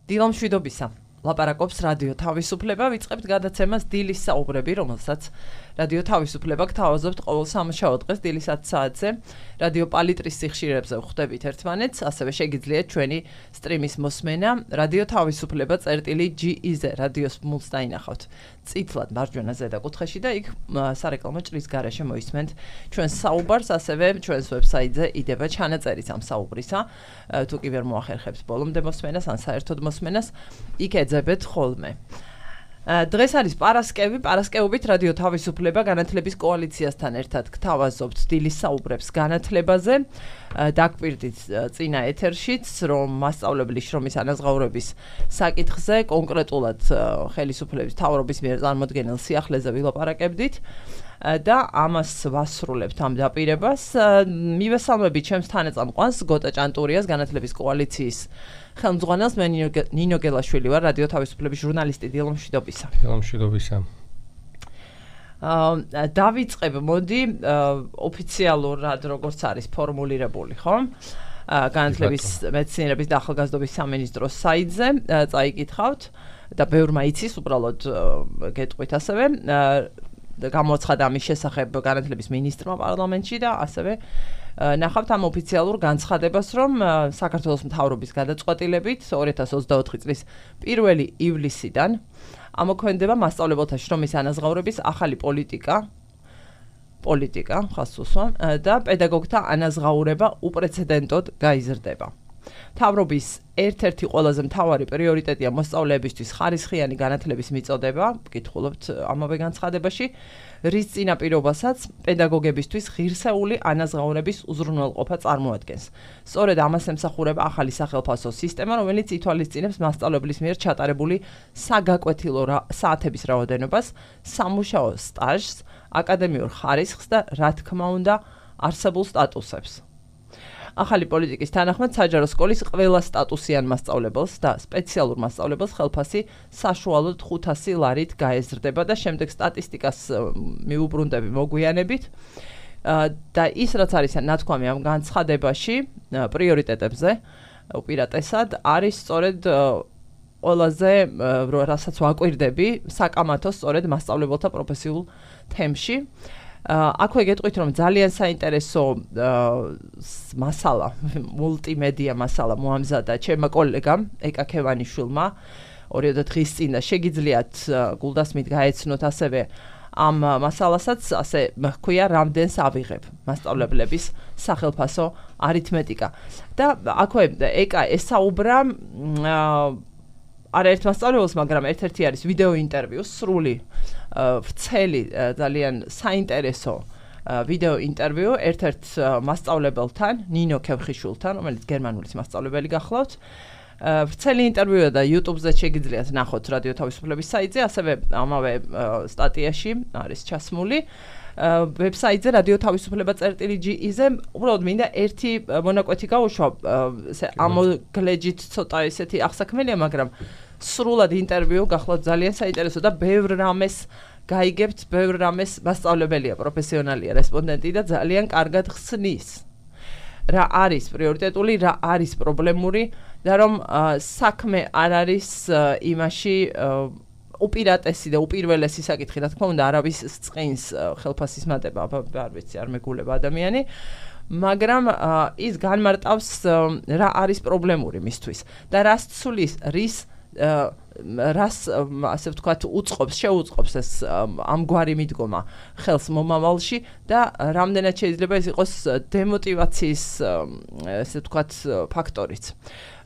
დილამშვიდობისა. ლაპარაკობს რადიო თავისუფლება, ვიწყებთ გადაცემას დილის საუბრები, რომელსაც რადიო თავისუფლება გთავაზობთ ყოველ სამუშაო დღეს დილის 10 საათზე. რადიო პალიტრის სიხშირებზე ვხვდებით ერთმანეთს, ასევე შეგიძლიათ ჩვენი სტრიმის მოსმენა რადიო თავისუფლება წერტილი.gz რადიოს მულს დაინახავთ. წითლად მარჯვენა ზედა კუთხეში და იქ სარეკლამო ჭრის გარეშე მოისმენთ ჩვენს საუბარს, ასევე ჩვენს ვებსაიტზე იდება ჩანაწერიც ამ საუბრისა. თუ კი ვერ მოახერხებთ ბოლომდე მოსმენას ან საერთოდ მოსმენას, იქ ეძებეთ ხოლმე. დღეს არის პარასკევობით რადიო თავისუფლება განათლების კოალიციასთან ერთად გთავაზობთ დილის საუბრებს განათლებაზე. დაგვირდით წინა ეთერშიც, რომ მასწავლებლის შრომის ანაზღაურების საკითხზე, კონკრეტულად ხელისუფლების მთავრობის მიერ წარმოდგენილ სიახლეზე ვილაპარაკებდით და ამას ვასრულებთ ამ დაპირებას. მივესალმებით ჩემს თანაწამყვანს გოტა ჭანტურიას, განათლების კოალიციის ხელმძღვანელს. მე ნინო გელაშვილი ვარ, რადიო თავისუფლების ჟურნალისტი. დილამშვიდობისა. დილამშვიდობისა. დავიწყებ, მოდი, ოფიციალურად როგორც არის ფორმულირებული, ხო? განათლების მეცნიერების და ახალგაზრდობის სამინისტროს საიტზე წაიკითხავთ და ბევრმა იცის, უბრალოდ გეტყვით ასევე. გამოაცხადა ამის შესახებ განათლების მინისტრმა პარლამენტში და ასევე ნახავთ ამ ოფიციალურ განცხადებას, რომ საქართველოს მთავრობის გადაწყვეტილებით 2024 წლის 1 ივლისიდან ამოქმედება მასწავლებელთა შრომის ანაზღაურების ახალი პოლიტიკა ხას უსვა და პედაგოგთა ანაზღაურება უპრეცედენტოდ გაიზრდება. მთავრობის ერთ-ერთი ყველაზე მთავარი პრიორიტეტია მოსწავლეებისთვის ხარისხიანი განათლების მიწოდება, ვკითხულობთ ამავე განცხადებაში, რის წინაპირობასაც პედაგოგებისთვის ღირსეული ანაზღაურების უზრუნველყოფა წარმოადგენს. სწორედ ამას ემსახურება ახალი სახელფასო სისტემა, რომელიც ითვალისწინებს მასწავლებლის მიერ ჩატარებული საგაკვეთილო საათების რაოდენობას, სამუშაო სტაჟს, აკადემიურ ხარისხს და რა თქმა უნდა, არსებულ სტატუსებს. ახალი პოლიტიკის თანახმად საჯარო სკოლის ყველა სტატუსიან მასწავლებელს და სპეციალურ მასწავლებელს ხელფასი საშუალოდ 500 ლარით გაეზრდება და შემდეგ სტატისტიკას მიუბრუნდები მოგვიანებით. და ის რაც არის ნათქვამი ამ განცხადებაში პრიორიტეტებზე უპირატესად არის სწორედ ყველაზე რასაც ვაკვირდები საკამათო სწორედ მასწავლებელთა პროფესიულ თემში. აქვე გეტყვით, რომ ძალიან საინტერესო მასალა, მულტიმედია მასალა მოამზადა ჩემმა კოლეგამ ეკა ქევანიშვილმა 2 დღის წინ და შეგიძლიათ გულდასმით გაეცნოთ ასევე ამ მასალასაც, ასე ჰქვია, რამდენს ავიღებ მასწავლებლების სახელფასო არითმეტიკა. და აქვე ეკა ესაუბრა არაერთ მასწავლებელს, მაგრამ ერთ-ერთი არის ვიდეო ინტერვიუ, სრული ვრცელი, ძალიან საინტერესო ვიდეო ინტერვიუ ერთ-ერთ მასწავლებელთან, ნინო ქევხიშვილთან, რომელიც გერმანულის მასწავლებელი გახლავთ. ვრცელი ინტერვიუა და YouTube-ზე შეგიძლიათ ნახოთ რადიო თავისუფლების საიტზე, ასევე ამავე სტატიაში არის ჩასმული. ვებსაიტზე რადიო თავისუფლება წერტილი.gz უბრალოდ მინდა ერთი მონაკვეთი გავუშვა, ამოგლეჯით ცოტა ესეთი აღსაქმელია, მაგრამ სრულად ინტერვიუ გახლავთ ძალიან საინტერესო და ბევრ რამეს გაიგებთ, ბევრ რამეს მასწავლებელია, პროფესიონალია, რესპონდენტი და ძალიან კარგად ხსნის. რა არის პრიორიტეტული, რა არის პრობლემური და რომ საქმე არ არის იმაში უპირატესი და უპირველესი საკითხი, რა თქმა უნდა, არავის წყინს ხელფასის მატება, არ ვიცი, არ მეგულება ადამიანი, მაგრამ ის განმარტავს რა არის პრობლემური მისთვის და რას ცulis, რას ასე ვთქვათ, შეუწყობს ეს ამგვარი მიდგომა ხელს მომავალში და რამდენად შეიძლება ეს იყოს დემოტივაციის ასე ვთქვათ ფაქტორიც.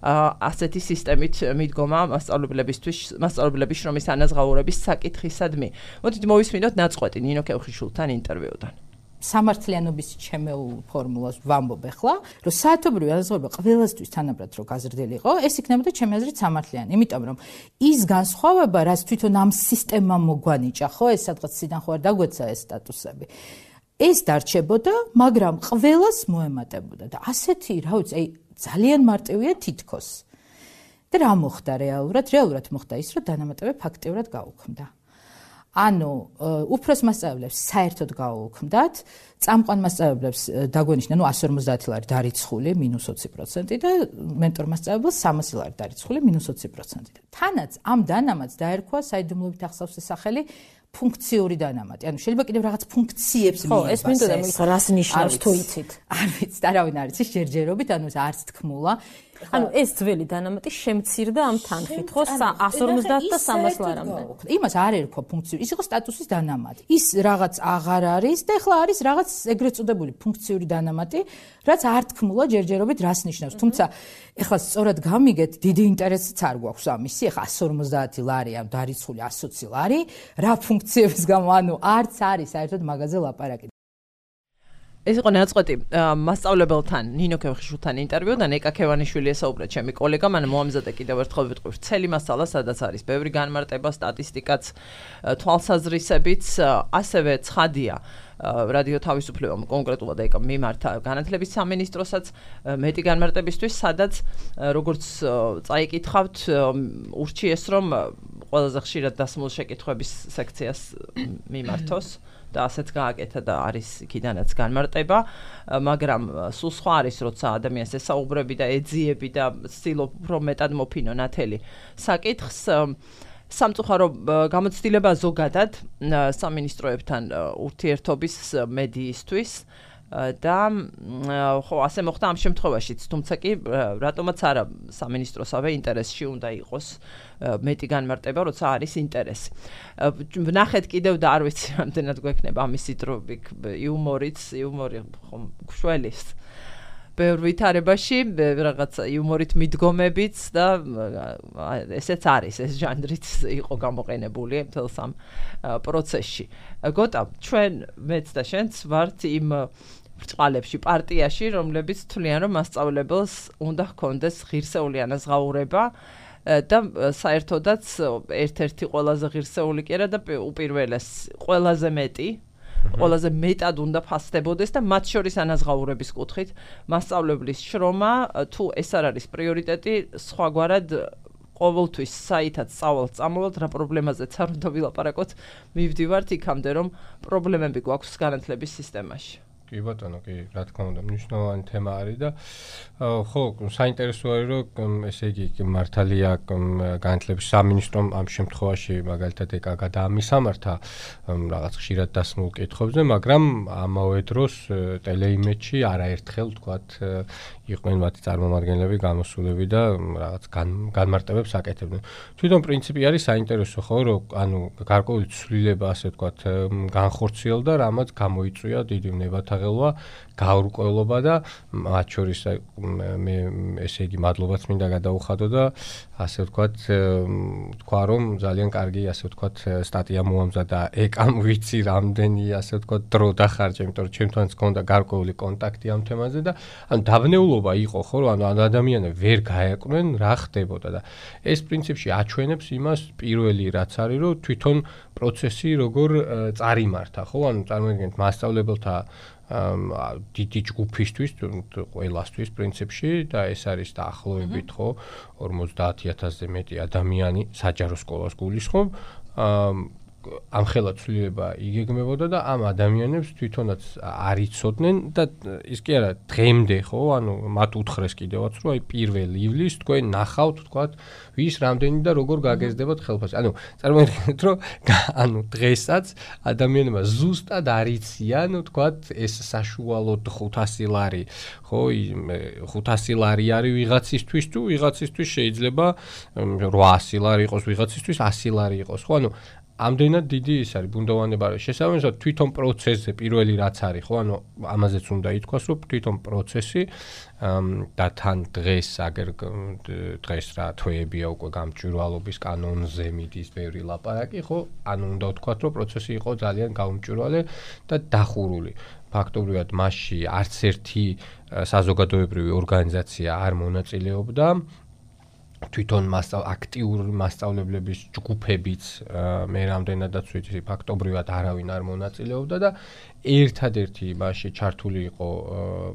ასეთი სისტემით მიდგომა მასწავლებლების შრომის ანაზღაურების საკითხისადმი. მოდით მოვისმინოთ ნაწყვეტი ნინო ქევხიშვილთან ინტერვიუდან. სამართლიანობის ჩემეულ ფორმულას ვამბობ ახლა, რომ საათობრივი ანაზღაურება ყველასთვის თანაბრად რო გაზრდილი იყო, ეს იქნებოდა ჩემი აზრით სამართლიანი, იმიტომ რომ ის განსხვავება, რაც თვითონ ამ სისტემამ მოგვანიჭა, ხო, ეს სადღაც სიდან ხო არ დაგვეცა ეს სტატუსები. ეს დარჩებოდა, მაგრამ ყველას მოემატებოდა და ასეთი, რა ვიცი, ძალიან მარტივია თითქოს. და რა მოხდა რეალურად? რეალურად მოხდა ის, რომ დანამატები ფაქტიურად გაუქმდა. ანუ უფროს მასწავლებლებს საერთოდ გაუუქმდათ, წამყვან მასწავლებლებს დაგვენიშნა, 150 ლარი დარიცხული -20% და მენტორ მასწავლებლებს 300 ლარი დარიცხული -20%. თანაც ამ დანამატს დაერქვა საიდუმლოებით ახსავს სახელი ფუნქციური დანამატი. ანუ შეიძლება კიდევ რაღაც ფუნქციებს მიიღოს. ხო, ეს მინდოდა მითხრა, რას ნიშნავს თუ იცით? არ ვიცით, არავინ არ იცის ჯერჯერობით, ანუ არც თქმულა. ანუ ეს ძველი დანამატი შემცირდა ამ თანხით, ხო, 150 და 300 ლარამდე. იმას არ ერქვა ფუნქციური, ის იყო სტატუსის დანამატი. ის რაღაც აღარ არის და ეხლა არის რაღაც ეგრეთ წოდებული ფუნქციური დანამატი, რაც არ თქმულა ჯერჯერობით რას ნიშნავს. თუმცა ეხლა სწორად გამიგეთ, დიდი ინტერესიც არ გვაქვს ამისი, ეხლა 150 ლარი ამ დარიცხული 120 ლარი, რა ფუნქციების გამო, ანუ არც არის საერთოდ მაგაზე ლაპარაკი. ეს იყო ნაწყვეტი მასწავლებელთან ნინო ქევხიშვილთან ინტერვიუ და ნეკა ქევანიშვილი ესაუბრა ჩემი კოლეგა, მან მოამზადა კიდევ ერთხელ ვიტყვი ვრცელი მასალა, სადაც არის ბევრი განმარტება, სტატისტიკაც, თვალსაზრისებიც, ასევე ცხადია რადიო თავისუფლებამ კონკრეტულად ეკა მიმართა განათლების სამინისტროსაც მეტი განმარტებისთვის, სადაც როგორც წაიკითხავთ, ურჩიეს რომ ყველაზე ხშირად დასმულ შეკითხვების სექციას მიმართოს. და ასეც გააკეთა და არის იქიდანაც განმარტება, მაგრამ სულ სხვა არის, როცა ადამიანს ესაუბრები და ეძიები და ცდილობ უფრო მეტად მოფინო ნათელი საკითხს. სამწუხარო გამოცდილება ზოგადად სამინისტროებთან ურთიერთობის მედიისთვის და ხო ასე მოხდა ამ შემთხვევაშიც, თუმცა კი რატომაც არა სამინისტროსავე ინტერესში უნდა იყოს მეტი განმარტება, როცა არის ინტერესი. ვნახეთ კიდევ და არ ვიცი რამდენად გვექნება ამისი დრო იუმორი ხომ გშველის ბევრ ვითარებაში, რაღაც იუმორით მიდგომებიც და ესეც არის, ეს ჟანრიც იყო გამოყენებული მთელს ამ პროცესში. გოტა, ჩვენ მეც და შენც ვართ იმ ბრწყალებში, პარტიაში, რომლებიც თვლიან, რომ მასწავლებელს უნდა ჰქონდეს ღირსეული ანაზღაურება და საერთოდაც ერთ-ერთი ყველაზე ღირსეული კი არა და უპირველეს ყველაზე მეტად უნდა ფასდებოდეს და მათ შორის ანაზღაურების კუთხით მასწავლებლის შრომა, თუ ეს არ არის პრიორიტეტი, სხვაგვარად ყოველთვის საითაც სწავლობთ, წამოვალთ, რა პრობლემაზეც არ უნდა ვილაპარაკოთ, მივდივართ იქამდე, რომ პრობლემები გვაქვს განათლების სისტემაში. კი ბატონო, კი, რა თქმა უნდა, მნიშვნელოვანი თემა არის და ხო, საინტერესო არის, რომ ესე იგი მართალია განათლების სამინისტრომ ამ შემთხვევაში მაგალითად ეკა გადაამისამართა რაღაც ხშირად დასმულ კითხვებზე, მაგრამ ამავე დროს ტელეიმედში არაერთხელ თქვათ იყვნენ მათი წარმომადგენლები გამოსულები და რაღაც განმარტებებს აკეთებდნენ. თვითონ პრინციპი არის საინტერესო, ხო, რომ ანუ გარკვეული ცვლილება ასე თქვათ განხორციელდა, რამაც გამოიწვია დიდი ნებათაღელვა, გაურკვევლობა და მათ შორის მე ესე იგი მადლობაც მინდა გადაუხადო და ასე ვთქვათ, თქვა რომ ძალიან კარგი ასე ვთქვათ სტატია მოამზადა ეკამ ვიცი რამდენი ასე ვთქვათ დრო დახარჯა, იმიტომ რომ ჩემთანაც გქონდა გარკვეული კონტაქტი ამ თემაზე და ანუ დაბნეულობა იყო ხო, რომ ანუ ადამიანები ვერ გაეკვნენ რა ხდებოდა და ეს პრინციპში აჩვენებს იმას პირველი რაც არის, რომ თვითონ პროცესი როგორ წარიმართა, ხო, ანუ წარმოიდგინეთ მასწავლებელთა დიდი ჯგუფისთვის, ყველასთვის პრინციპში და ეს არის დაახლოებით ხო 50000-ზე მეტი ადამიანი საჯარო სკოლას გულისხმობ. ამხელა ცვლილება იგეგმებოდა და ამ ადამიანებს თვითონაც არ იცოდნენ და ის კი არა დღემდე ხო, ანუ მათ უთხრეს კიდევაც რომ აი 1 ივლისს თქვენ ნახავთ თქვათ ვის რამდენი და როგორ გაგეზდებათ ხელფასი. ანუ წარმოიდგინეთ რომ ანუ დღესაც ადამიანებმა ზუსტად არ იციან თქვათ ეს საშუალოდ 500 ლარი ხო 500 ლარი არის ვიღაცისთვის თუ ვიღაცისთვის შეიძლება 800 ლარი იყოს ვიღაცისთვის 100 ლარი იყოს ხო, ანუ ამდენად დიდი ის არის ბუნდოვანება არის შესაბამისად თვითონ პროცესზე პირველი რაც არის ხო, ანუ ამაზეც უნდა ითქვას რომ თვითონ პროცესი და თან დღეს აგერ დღეს რა თვეებია უკვე გამჭვირვალობის კანონზე მიდის ბევრი ლაპარაკი ხო, ანუ უნდა ვთქვათ რომ პროცესი იყო ძალიან გაუმჭვირვალე და დახურული. ფაქტობრივად მასში არც ერთი საზოგადოებრივი ორგანიზაცია არ მონაწილეობდა. თვითონ აქტიური მასწავლებლების ჯგუფებიც მე რამდენადაც ვიცი ფაქტობრივად არავინ არ მონაწილეობდა და ერთადერთი მასში ჩართული იყო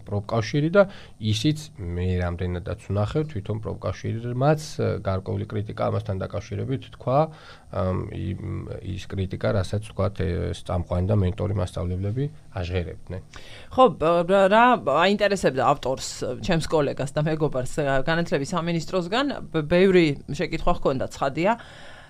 პროფკავშირი და ისიც მე რამდენადაც ვნახევ თვითონ პროფკავშირმაც გარკვეული კრიტიკა ამასთან დაკავშირებით თქვა ის კრიტიკა, რასაც თქვათ წამყვანი და მენტორი მასწავლებლები აჟღერებდნენ. ხო, რა აინტერესებდა ავტორს, ჩემს კოლეგას და მეგობარს განათლების სამინისტროსგან, ბევრი შეკითხვა ჰქონდა ცხადია.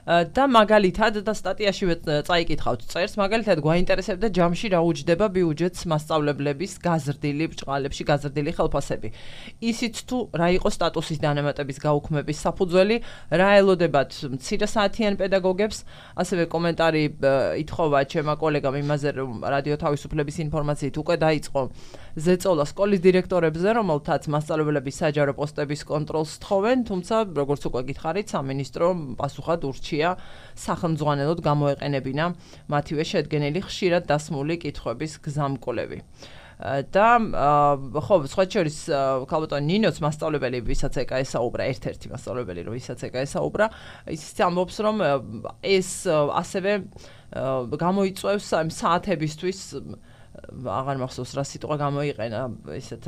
და მაგალითად და სტატიაშივე წაიკითხავთ წერს, მაგალითად გვაინტერესებდა ჯამში რა უჯდება ბიუჯეტს მასწავლებლების გაზრდილი ბრჭყალებში გაზრდილი ხელფასები. ისიც თუ რა იყო სტატუსის დანამატების გაუქმების საფუძველი, რა ელოდებათ მცირე საათიან პედაგოგებს, ასევე კომენტარი ითხოვა ჩემმა კოლეგამ იმაზე, რომ რადიო თავისუფლების ინფორმაციით უკვე დაიწყო ზეწოლა სკოლის დირექტორებზე, რომელთაც მასწავლებლების საჯარო პოსტების კონტროლს თხოვენ, თუმცა როგორც უკვე გითხარით, სამინისტრომ პასუხად ურჩია სახელმძღვანელოდ გამოეყენებინა მათივე შედგენილი ხშირად დასმული კითხვების გზამკვლევი. და ხო, სხვა შორის ქალბატონ ნინოც მასწავლებელი, ვისაც ეკაესაუბრა, ერთ-ერთი მასწავლებელი, ვისაც ეკაესაუბრა, ისიც ამბობს, რომ ეს ასევე გამოიწვევს ამ საათებისთვის აღარ მახსოვს რა სიტყვა გამოიყენა ისეთ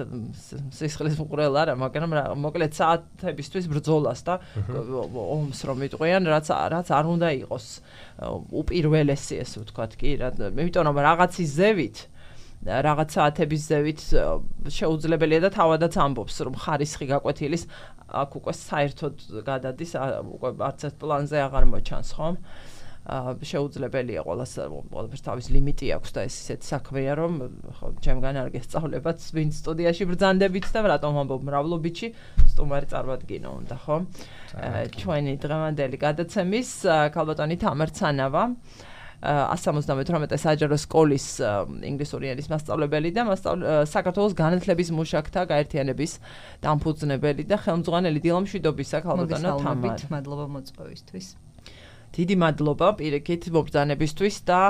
სისხლის მყრელ არა, მაგრამ მოკლედ საათებისთვის ბრძოლას და ომს რომ იტყვიან, რაც არ უნდა იყოს უპირველესი, ესე ვთქვათ კი, იმიტომ რომ რაღაცის ზევით რაღაც საათების ზევით შეუძლებელია და თავადაც ამბობს, რომ ხარისხი გაკვეთილის აქ უკვე საერთოდ გადადის, უკვე არც ერთ პლანზე აღარ მოჩანს, ხო? შეუძლებელია ყველაფერს თავის ლიმიტი აქვს და ეს ისეთი საქმეა, რომ ხო ჩემგან არ გესწავლებათ ვინც სტუდიაში ბრძანდებით და რატომ ამბობ მრავლობიჩი სტუმარი წარმოადგინო უნდა, ხო? ჩვენი დღევანდელი გადაცემის ქალბატონი თამარ ცანავა 178 საჯარო სკოლის ინგლისური ენის მასწავლებელი და საქართველოს განათლების მუშაკთა გაერთიანების დამფუძნებელი და ხელმძღვანელი დილამშვიდობისა ქალბატონო თამარ. მადლობა მოწვევისთვის. დიდი მადლობა პირიქით მობრძანებისთვის და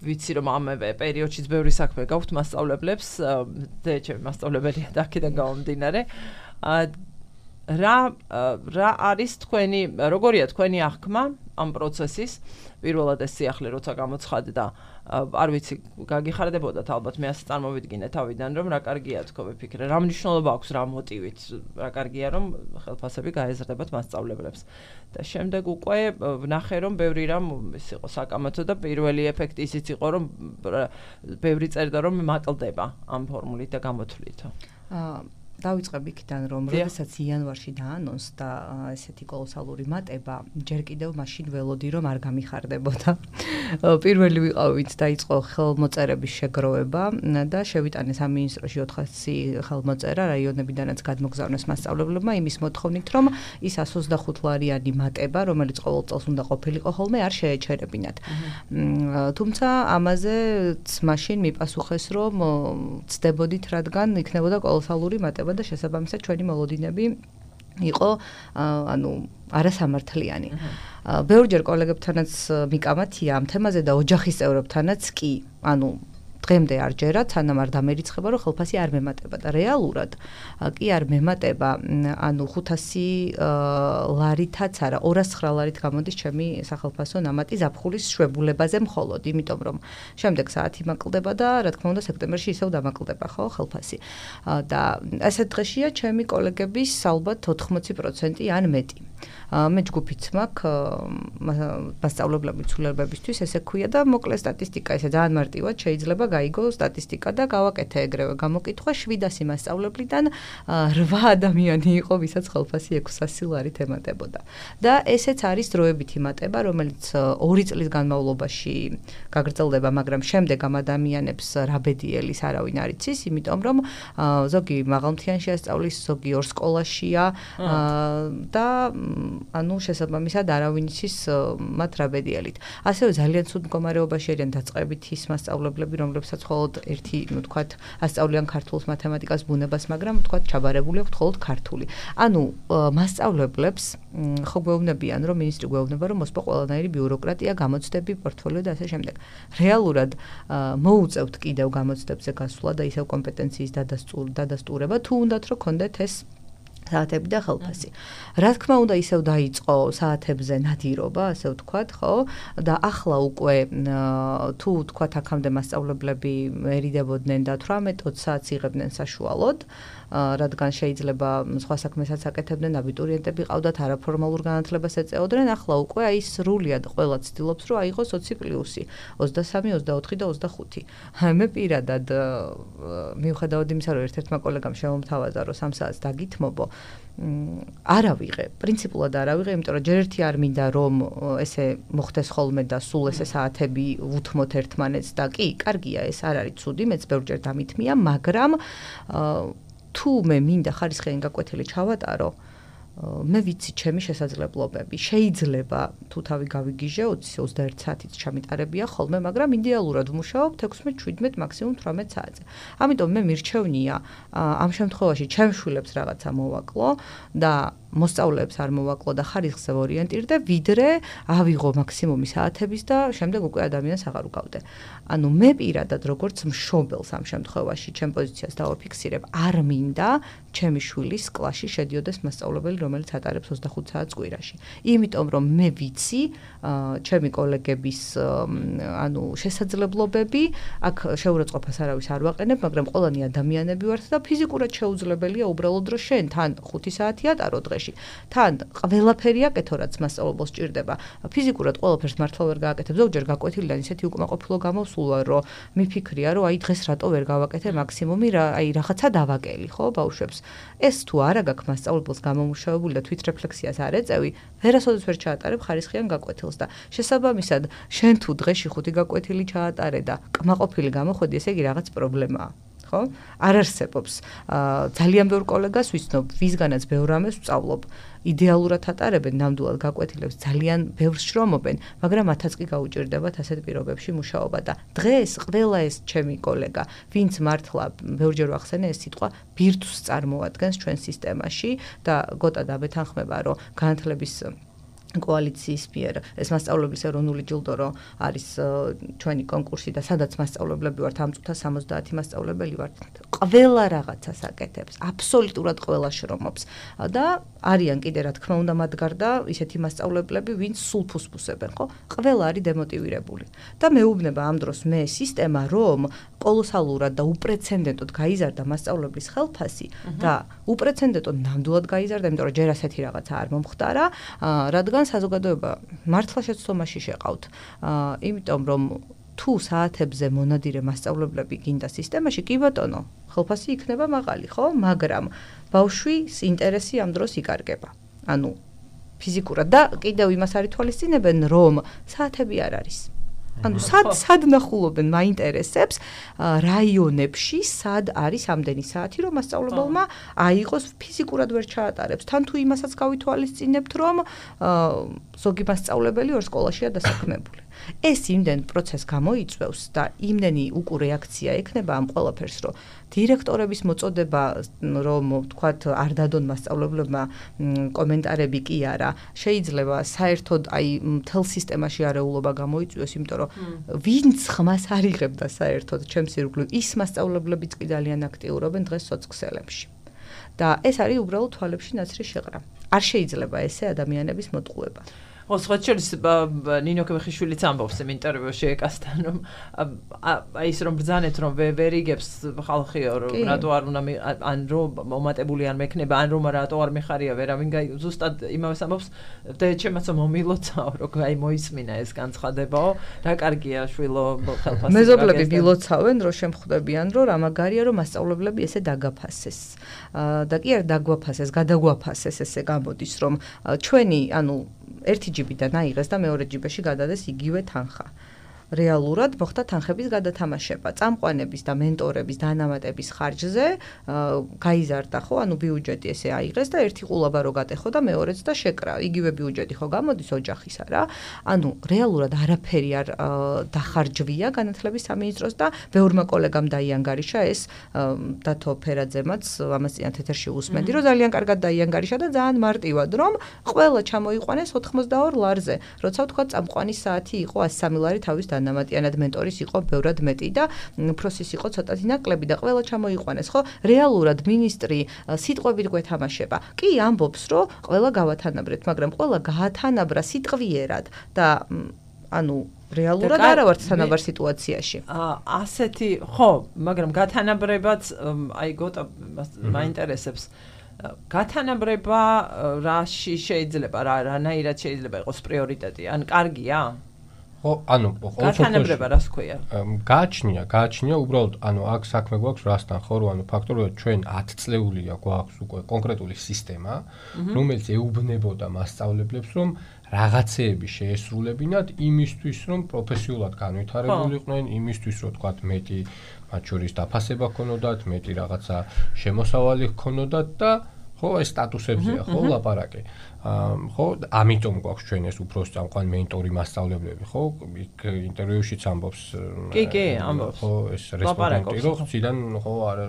ვიცი რომ ამ პერიოდშიც ბევრი საქმე გაქვთ მასწავლებლებს, ჩემი მასწავლებელია და აქედან გამომდინარე. რა არის თქვენი, როგორია თქვენი აღქმა ამ პროცესის? პირველად ეს სიახლე როცა გამოცხადდა, არ ვიცი, გაგიხარდებოდათ ალბათ, მე ასე წარმოვიდგინე თავიდან, რომ რა კარგია თქო ვიფიქრე, რა მნიშვნელობა აქვს რა მოტივით, რა კარგია რომ ხელფასები გაეზრდებათ მასწავლებლებს. და შემდეგ უკვე ვნახე რომ ბევრი რამ ის იყო საკამათო და პირველი ეფექტი ისიც იყო რომ ბევრი წერდა რომ მაკლდება ამ ფორმულით და გამოთვლითო. დავიწყებ იქიდან რომ როდესაც იანვარში დაანონსდა ესეთი კოლოსალური მატება, ჯერ კიდევ მაშინ ველოდი რომ არ გამიხარდებოდა. პირველი ვიყავი, ვინც დაიწყო ხელმოწერების შეგროვება და შევიტანეს სამინისტროში 400 ხელმოწერა რაიონებიდანაც გადმოგზავნეს მასწავლებლებმა იმის მოთხოვნით, რომ ის 125 ლარიანი მატება, რომელიც ყოველ წელს უნდა ყოფილიყო ხოლმე, არ შეეჩერებინათ. თუმცა ამაზეც მაშინ მიპასუხეს, რომ ცდებოდით, რადგან იქნებოდა კოლოსალური მატება და შესაბამისად ჩვენი მოლოდინები იყო არასამართლიანი. ბევრჯერ კოლეგებთანაც მიკამათია ამ თემაზე და ოჯახის წევრებთანაც კი, დღემდე არ ჯერა, სანამ არ დამერიცხება, რომ ხელფასი არ მემატება და რეალურად კი არ მემატება, 500 ლარითაც არა, 209 ლარით გამოდის ჩემი სახელფასო ნამატი ზაფხულის შვებულებაზე მხოლოდ, იმიტომ რომ შემდეგ საათი მაკლდება და რა თქმა უნდა სექტემბერში ისევ დამაკლდება, ხო, ხელფასი. და ასეთ დღეშია ჩემი კოლეგების ალბათ 80% ან მეტი. მე ჯგუფიც მაქვს მასწავლებლების ცვლილებებისთვის, ესე ქვია და მოკლე სტატისტიკა, ესე ძალიან მარტივად შეიძლება გაიგო სტატისტიკა და გავაკეთე ეგრევე გამოკითხვა 700 მასწავლებლიდან 8 ადამიანი იყო, ვისაც ხელფასი 600 ლარით ემატებოდა. და ესეც არის დროებითი მატება, რომელიც 2 წლის განმავლობაში გაგრძელდება, მაგრამ შემდეგ ამ ადამიანებს რა ბედიელის არავინ არ იცის, იმიტომ რომ ზოგი მაღალმთიანი შეასწავლის, ზოგი ორ სკოლაშია და შესაბამისად არავინ იცის მათ რა ბედიელით. ასევე ძალიან ცუდ მდგომარეობაში არიან დაწყებითი ის მასწავლებლები, რომლებსაც მხოლოდ ერთი, ვთქვათ, ასწავლიან ქართულს, მათემატიკას, ბუნებას, მაგრამ ვთქვათ, ჩაბარებული აქვთ მხოლოდ ქართული. მასწავლებლებს ხო გვეუბნებიან, რომ მინისტრი გვეუბნება, რომ მოსპო ყველანაირი ბიუროკრატია, გამოცდები, პორტფოლიო და ასე შემდეგ. რეალურად მოუწევთ კიდევ გამოცდებზე გასვლა და ისევ კომპეტენციის დადასტურება, თუ უნდათ რომ გქონდეთ ეს საათები და ხელფასი. რა თქმა უნდა, ისევ დაიწყო საათებზე ნადირობა, ასე ვთქვათ, ხო? და ახლა უკვე თუ ვთქვათ, აქამდე მასწავლებლები ერიდებოდნენ და 18-20 საათს იღებდნენ საშუალოდ, რადგან შეიძლება სხვა საქმესაც აკეთებდნენ, აბიტურიენტები ყავდათ, არაფორმალურ განათლებას ეწეოდნენ, ახლა უკვე აი სრულად ყველა ცდილობს, რომ აიღოს 20 პლუსი, 23, 24 და 25. მე პირადად მიუხედავად იმისა, რომ ერთ-ერთმა კოლეგამ შემომთავაზა, რომ 3 საათს დაგითმობო, არ ავიღე, პრინციპულად არ ავიღე, იმიტომ რომ ჯერ ერთი არ მინდა რომ ესე მოხდეს ხოლმე და სულ ესე საათები უთმოთ ერთმანეთს და კი, კარგია, ეს არ არის ცუდი, მეც ბევრჯერ დამითმია, მაგრამ თუ მე მინდა ხარისხიანი გაკვეთილი ჩავატარო, მე ვიცი ჩემი შესაძლებლობები. შეიძლება თუ თავი გავიგიჟე 20-21 საათიც ჩამიტარებია ხოლმე, მაგრამ იდეალურად ვმუშაობ 16-17 მაქსიმუმ 18 საათზე. ამიტომ მე მირჩევნია ამ შემთხვევაში ჩემს შვილებს რაღაცა მოვაკლო და მოსწავლეებს არ მოვაკლო და ხარისხზე ორიენტირდე, ვიდრე ავიღო მაქსიმუმი საათების და შემდეგ უკვე ადამიანს აღარ უკავდე. ანუ მე პირადად როგორც მშობელს ამ შემთხვევაში ჩემ პოზიციას დავაფიქსირებ, არ მინდა ჩემი შვილის კლასში შედიოდეს მასწავლებელი, რომელიც ატარებს 25 საათს კვირაში. იმიტომ რომ მე ვიცი ჩემი კოლეგების ანუ შესაძლებლობები, აქ შეურაცხყოფას არავის არ ვაყენებ, მაგრამ ყველანი ადამიანები ვართ და ფიზიკურად შეუძლებელია უბრალოდ რომ შენ თან 5 საათი ატარო დღეში. თან ყველაფერი აკეთო, რაც მასწავლებელს ჭირდება. ფიზიკურად ყველაფერს მართლა ვერ გააკეთებ. ზოგჯერ გაკვეთილიდან ისეთი უკმაყოფილო გამოსულა, რომ მიფიქრია, რომ აი დღეს რატო ვერ გავაკეთე მაქსიმუმი, აი რაღაცა დავაკელი, ხო, ბავშვებს. ეს თუ არა გაქვს მასწავლებელს გამომუშავებული და თვითრეფლექსიას არ ეწევი, ვერასოდეს ვერ ჩაატარებ ხარისხიან გაკვეთილს და შესაბამისად, შენ თუ დღეში 5 გაკვეთილი ჩაატარე და კმაყოფილი გამოხვედი, ესე იგი რაღაც პრობლემაა. ხო? არ არსებობს. ძალიან ბევრ კოლეგას ვიცნობ, ვისგანაც ბევრ ამას ვსწავლობ. იდეალურად ატარებენ ნამდვილად გაკვეთილებს, ძალიან ბევრს შრომობენ, მაგრამ მათაც კი გაუჭირდებათ ასეთ პირობებში მუშაობა და დღეს ყველა ეს ჩემი კოლეგა, ვინც მართლა ბევრჯერ ვახსენე ეს სიტყვა ბირთვს წარმოადგენს ჩვენ სისტემაში და გოტა დაბეთანხმება, რომ განათლების კოალიციის მიერ ეს მასწავლებლების ეროვნული ჯილდო რო არის ჩვენი კონკურსი და სადაც მასწავლებლები ვართ ამ წუთას 70 მასწავლებელი ვართ ყველა რაღაცას აკეთებს აბსოლუტურად ყველა შრომობს და არიან კიდე რა თქმა უნდა მათ გარდა ისეთი მასწავლებლები ვინც სულ ფუსფუსებენ ხო ყველა არის დემოტივირებული და მეუბნება ამ დროს მე სისტემა რომ კოლოსალურად და უპრეცედენტოდ გაიზარდა მასწავლებლის ხელფასი და უპრეცედენტოდ ნამდვილად გაიზარდა იმიტომ რომ ჯერ ასეთი რაღაცა არ მომხდარა რადგან საზოგადოება მართლა შეცდომაში შეყავთ. იმიტომ რომ თუ საათებზე მონადირე მასწავლებლები გინდა სისტემაში, კი ბატონო, ხელფასი იქნება მაღალი, ხო? მაგრამ ბავშვის ინტერესი ამ დროს იკარგება. ანუ ფიზიკურად და კიდევ იმას არ ითვალისწინებენ, რომ საათები არ არის. ანუ სად ნახულობენ მაინტერესებს რაიონებში სად არის ამდენი საათი რომ მასწავლებელმა აიღოს ფიზიკურად ვერ ჩაატარებს თან თუ იმასაც გავითვალისწინებთ რომ ზოგი მასწავლებელი ორ სკოლაშია დასაქმებული ეს იმდენ პროცესს გამოიწვევს და იმდენი უკუ რეაქცია ექნება ამ ყველაფერს რომ დირექტორების მოწოდება რომ ვთქვათ არ დადონ მასწავლებლებმა კომენტარები კი არა შეიძლება საერთოდ აი მთელ სისტემაში არეულობა გამოიწვიოს იმიტომ რომ ვინც ხმას არ იღებდა საერთოდ ჩემს ირგვლივ ის მასწავლებლებიც კი ძალიან აქტიურობენ დღეს სოციქსელებში და ეს არის უბრალოდ თვალებში ნაცრის შეღრა არ შეიძლება ესე ადამიანების მოტყუება Osvat შორის ნინო ქებეხიშვილიც ამბობს იმ ინტერვიუში ეკასთან რომ აი ის რომ ბრძანეთ რომ ვერ იგებს ხალხიო რომ რატო არ უნდა ან რომ მომატებული არ მექნება ან რომ რატო არ მეხარია ვერავინ ზუსტად იმავეს ამბობს და ჩემაცო მომილოცაო რომ აი მოისმინა ეს განცხადებაო რა კარგია შვილო ხელფასი მეზობლები მილოცავენ რომ შემხვდებიან რომ რა მაგარია რომ მასწავლებლები ესე დაგაფასეს და კი არ დაგვაფასეს გადაგვაფასეს ესე გამოდის რომ ჩვენი ანუ ერთი ჯიბიდან აიღეს და მეორე ჯიბეში გადადეს იგივე თანხა. რეალურად მოხდა თანხების გადათამაშება, წამყვანების და მენტორების დანამატების ხარჯზე გაიზარდა ხო, ანუ ბიუჯეტი ესე აიღეს და ერთი ყულაბა რო გატეხო და მეორეც და შეკრა. იგივე ბიუჯეტი ხო გამოდის ოჯახისა რა. ანუ რეალურად არაფერი არ დახარჯვია განათლების სამინისტროს და ბევრმა კოლეგამ დაიანგარიშა ეს დათო ფერაძემაც ამას წინათ ეთერში უსმენდი, რომ ძალიან კარგად დაიანგარიშა და ძალიან მარტივად რომ ყველა ჩამოიყვანეს 82 ლარზე. როცა ვთქვა წამყვანის საათი იყო 103 ლარი თავის დანამატიანად მენტორის იყო ბევრად მეტი და უფროსის იყო ცოტათი ნაკლები და ყველა ჩამოიყვანეს, ხო? რეალურად მინისტრი სიტყვებით გვეთამაშება. კი ამბობს, რომ ყველა გავათანაბრეთ, მაგრამ ყველა გაათანაბრა სიტყვიერად და ანუ რეალურად არა ვართ თანაბარ სიტუაციაში. ასეთი, ხო, მაგრამ გათანაბრებაც აი გოტა მაინტერესებს. გათანაბრება რაში შეიძლება რანაირად შეიძლება იყოს პრიორიტეტი? ან კარგია? ხო, ანუ გათანაბრება რას ქვია? გააჩნია უბრალოდ, ანუ აქ საქმე გვაქვს რასთან, ხო, რომ ანუ ფაქტობრივად ჩვენ 10 წლეულია გვაქვს უკვე კონკრეტული სისტემა, რომელიც ეუბნებოდა მასწავლებლებს, რომ რაღაცეები შეესრულებინათ იმისთვის, რომ პროფესიულად განვითარებულიყვნენ, იმისთვის, რომ თქვათ მეტი მათ შორის დაფასება ჰქონოდათ, მეტი რაღაცა შემოსავალი ჰქონოდათ და ხო, ეს სტატუსებზეა, ხო, ლაპარაკი. ხო, ამიტომ გვაქვს ჩვენ ეს უფროსი წამყვანი მენტორი მასწავლებლები, ხო? იქ ინტერვიუშიც ამბობს. კი, ამბობს. ხო, ეს რესპონდენტი, რომ ხიდან ხო არ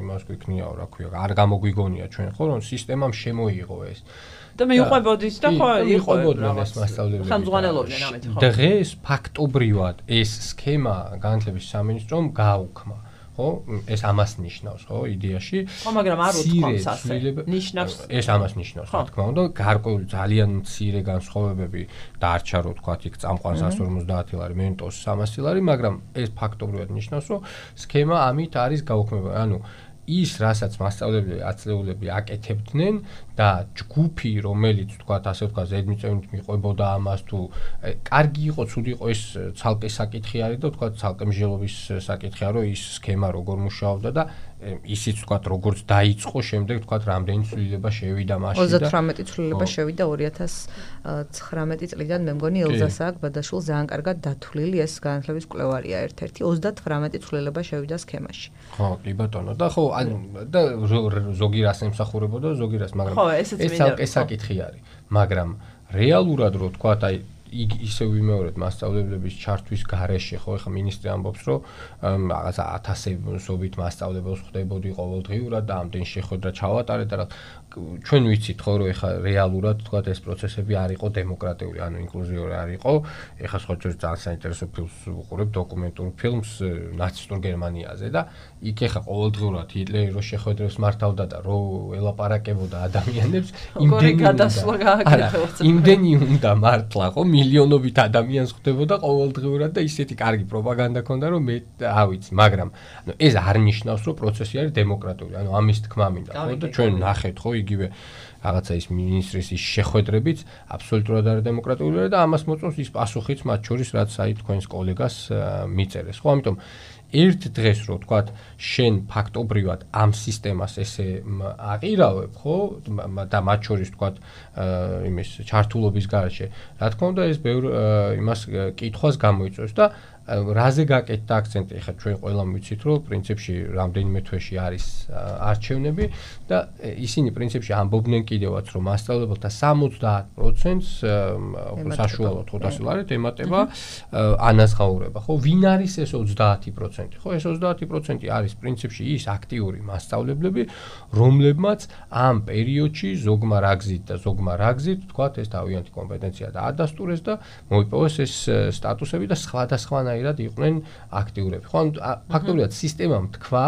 იმას გვიქნიაო, რა ქვია, არ გამოგვიგონია ჩვენ, ხო, რომ სისტემამ შემოიღო ეს. და მიუყვებოდით და ხო იყვებოდნენ ეს მასწავლებლები. ხელმძღვანელობდნენ ამით, ხო. დღეს ფაქტობრივად ეს სქემა განათლების სამინისტრომ გააუქმა. ხო, ეს ამას ნიშნავს, ხო, იდეაში. ხო, მაგრამ არ უთქვამს ასე. ნიშნავს. ეს ამას ნიშნავს, რა თქმა უნდა, გარკვეული ძალიან მცირე განსხვავებები დარჩა, რო თქვათ, იქ წამყვან 150 ლარი, მენტოს 300 ლარი, მაგრამ ეს ფაქტობრივად ნიშნავს, რომ სქემა ამით არის გაუქმებული. ანუ ის, რასაც მასწავლებლები, ათწლეულები აკეთებდნენ და ჯგუფი, რომელიც თქვათ, ასე ვთქვა, ზედმიწევნით მიყვებოდა ამას თუ კარგი იყო, ცუდი იყო, ეს ცალკე საკითხი არის და თქვათ, ცალკე მსჯელობის საკითხია, რომ ის სქემა როგორ მუშაობდა და ისიც თქვათ, როგორც დაიწყო, შემდეგ თქვათ, რამდენი ცვლილება შევიდა მასში და 38 ცვლილება შევიდა 2019 წლიდან, მე მგონი ელზასაკ ბადაშვილ ძალიან კარგად დათვლილი ეს განათლების კვლევარია ერთ-ერთი 38 ცვლილება შევიდა სქემაში. ხო, კი ბატონო, და ხო, და ზოგი რას ემსახურებოდა, ზოგი რას, მაგრამ ეს ცალკე საკითხი არის, მაგრამ რეალურად რო თქვათ, აი ისე ვიმეორებ მასწავლებლების ჩართვის გარეშე, ხო, ეხლა მინისტრი ამბობს, რომ რაღაცა 1000-ობით მასწავლებელს ხვდებოდი ყოველდღიურად და ამდენ შეხვედრა ჩავატარეთ და ჩვენ ვიცით, ხო, რომ ეხლა რეალურად თქვათ ეს პროცესები არ იყო დემოკრატიული, ანუ ინკლუზიური არ იყო. ეხლა სხვა ძალიან საინტერესო ფილმს ვუყურებ, დოკუმენტურ ფილმს ნაცისტურ გერმანიაზე და იქ ეხლა ყოველდღიურად ჰიტლერი რო შეხვედრებს მართავდა და რო ელაპარაკებოდა ადამიანებს, იმდენი უნდა მართლა, ხო, მილიონობით ადამიანს ხვდებოდა ყოველდღიურად და ისეთი კარგი პროპაგანდა ქონდა, რომ მე არ ვიცი, მაგრამ ანუ ეს არ ნიშნავს, რომ პროცესი არის დემოკრატიული. ანუ ამის თქმა მინდა, ხო, და ჩვენ ნახეთ, ხო, იგივე რაღაცა ის მინისტრის ის შეხვედრებიც აბსოლუტურად არ დემოკრატულია და ამას მოწონს ის პასუხიც მათ შორის, რაც აი თქვენს კოლეგას მიწერეს. ხო, ამიტომ ერთ დღეს რო თქვათ, შენ ფაქტობრივად ამ სისტემას ესე აყირავებ, ხო, და მათ შორის თქვათ, იმის ჩართულობის garaშე, რა თქმა უნდა, ეს ბევრ იმას კითხვას გამოიწვევს და რაზე გაკეთდა აქცენტი, ეხლა ჩვენ ყველამ ვიცით, რომ პრინციპში რამდენიმე თვეში არის არჩევნები და ისინი პრინციპში ამბობდნენ კიდევაც, რომ მასწავლებელთა 70%-ს საშუალოდ 500 ლარით ემატება ანაზღაურება, ხო? ვინ არის ეს 30%? ხო, ეს 30% არის პრინციპში ის აქტიური მასწავლებლები, რომლებმაც ამ პერიოდში ზოგმა რა გზით და ზოგმა რა გზით, თქვათ, ეს თავიანთი კომპეტენცია დაადასტურეს და მოიპოვეს ეს სტატუსები და სხვადასხვანაირად იყვნენ აქტიურები. ხო, ანუ ფაქტობრივად სისტემამ თქვა,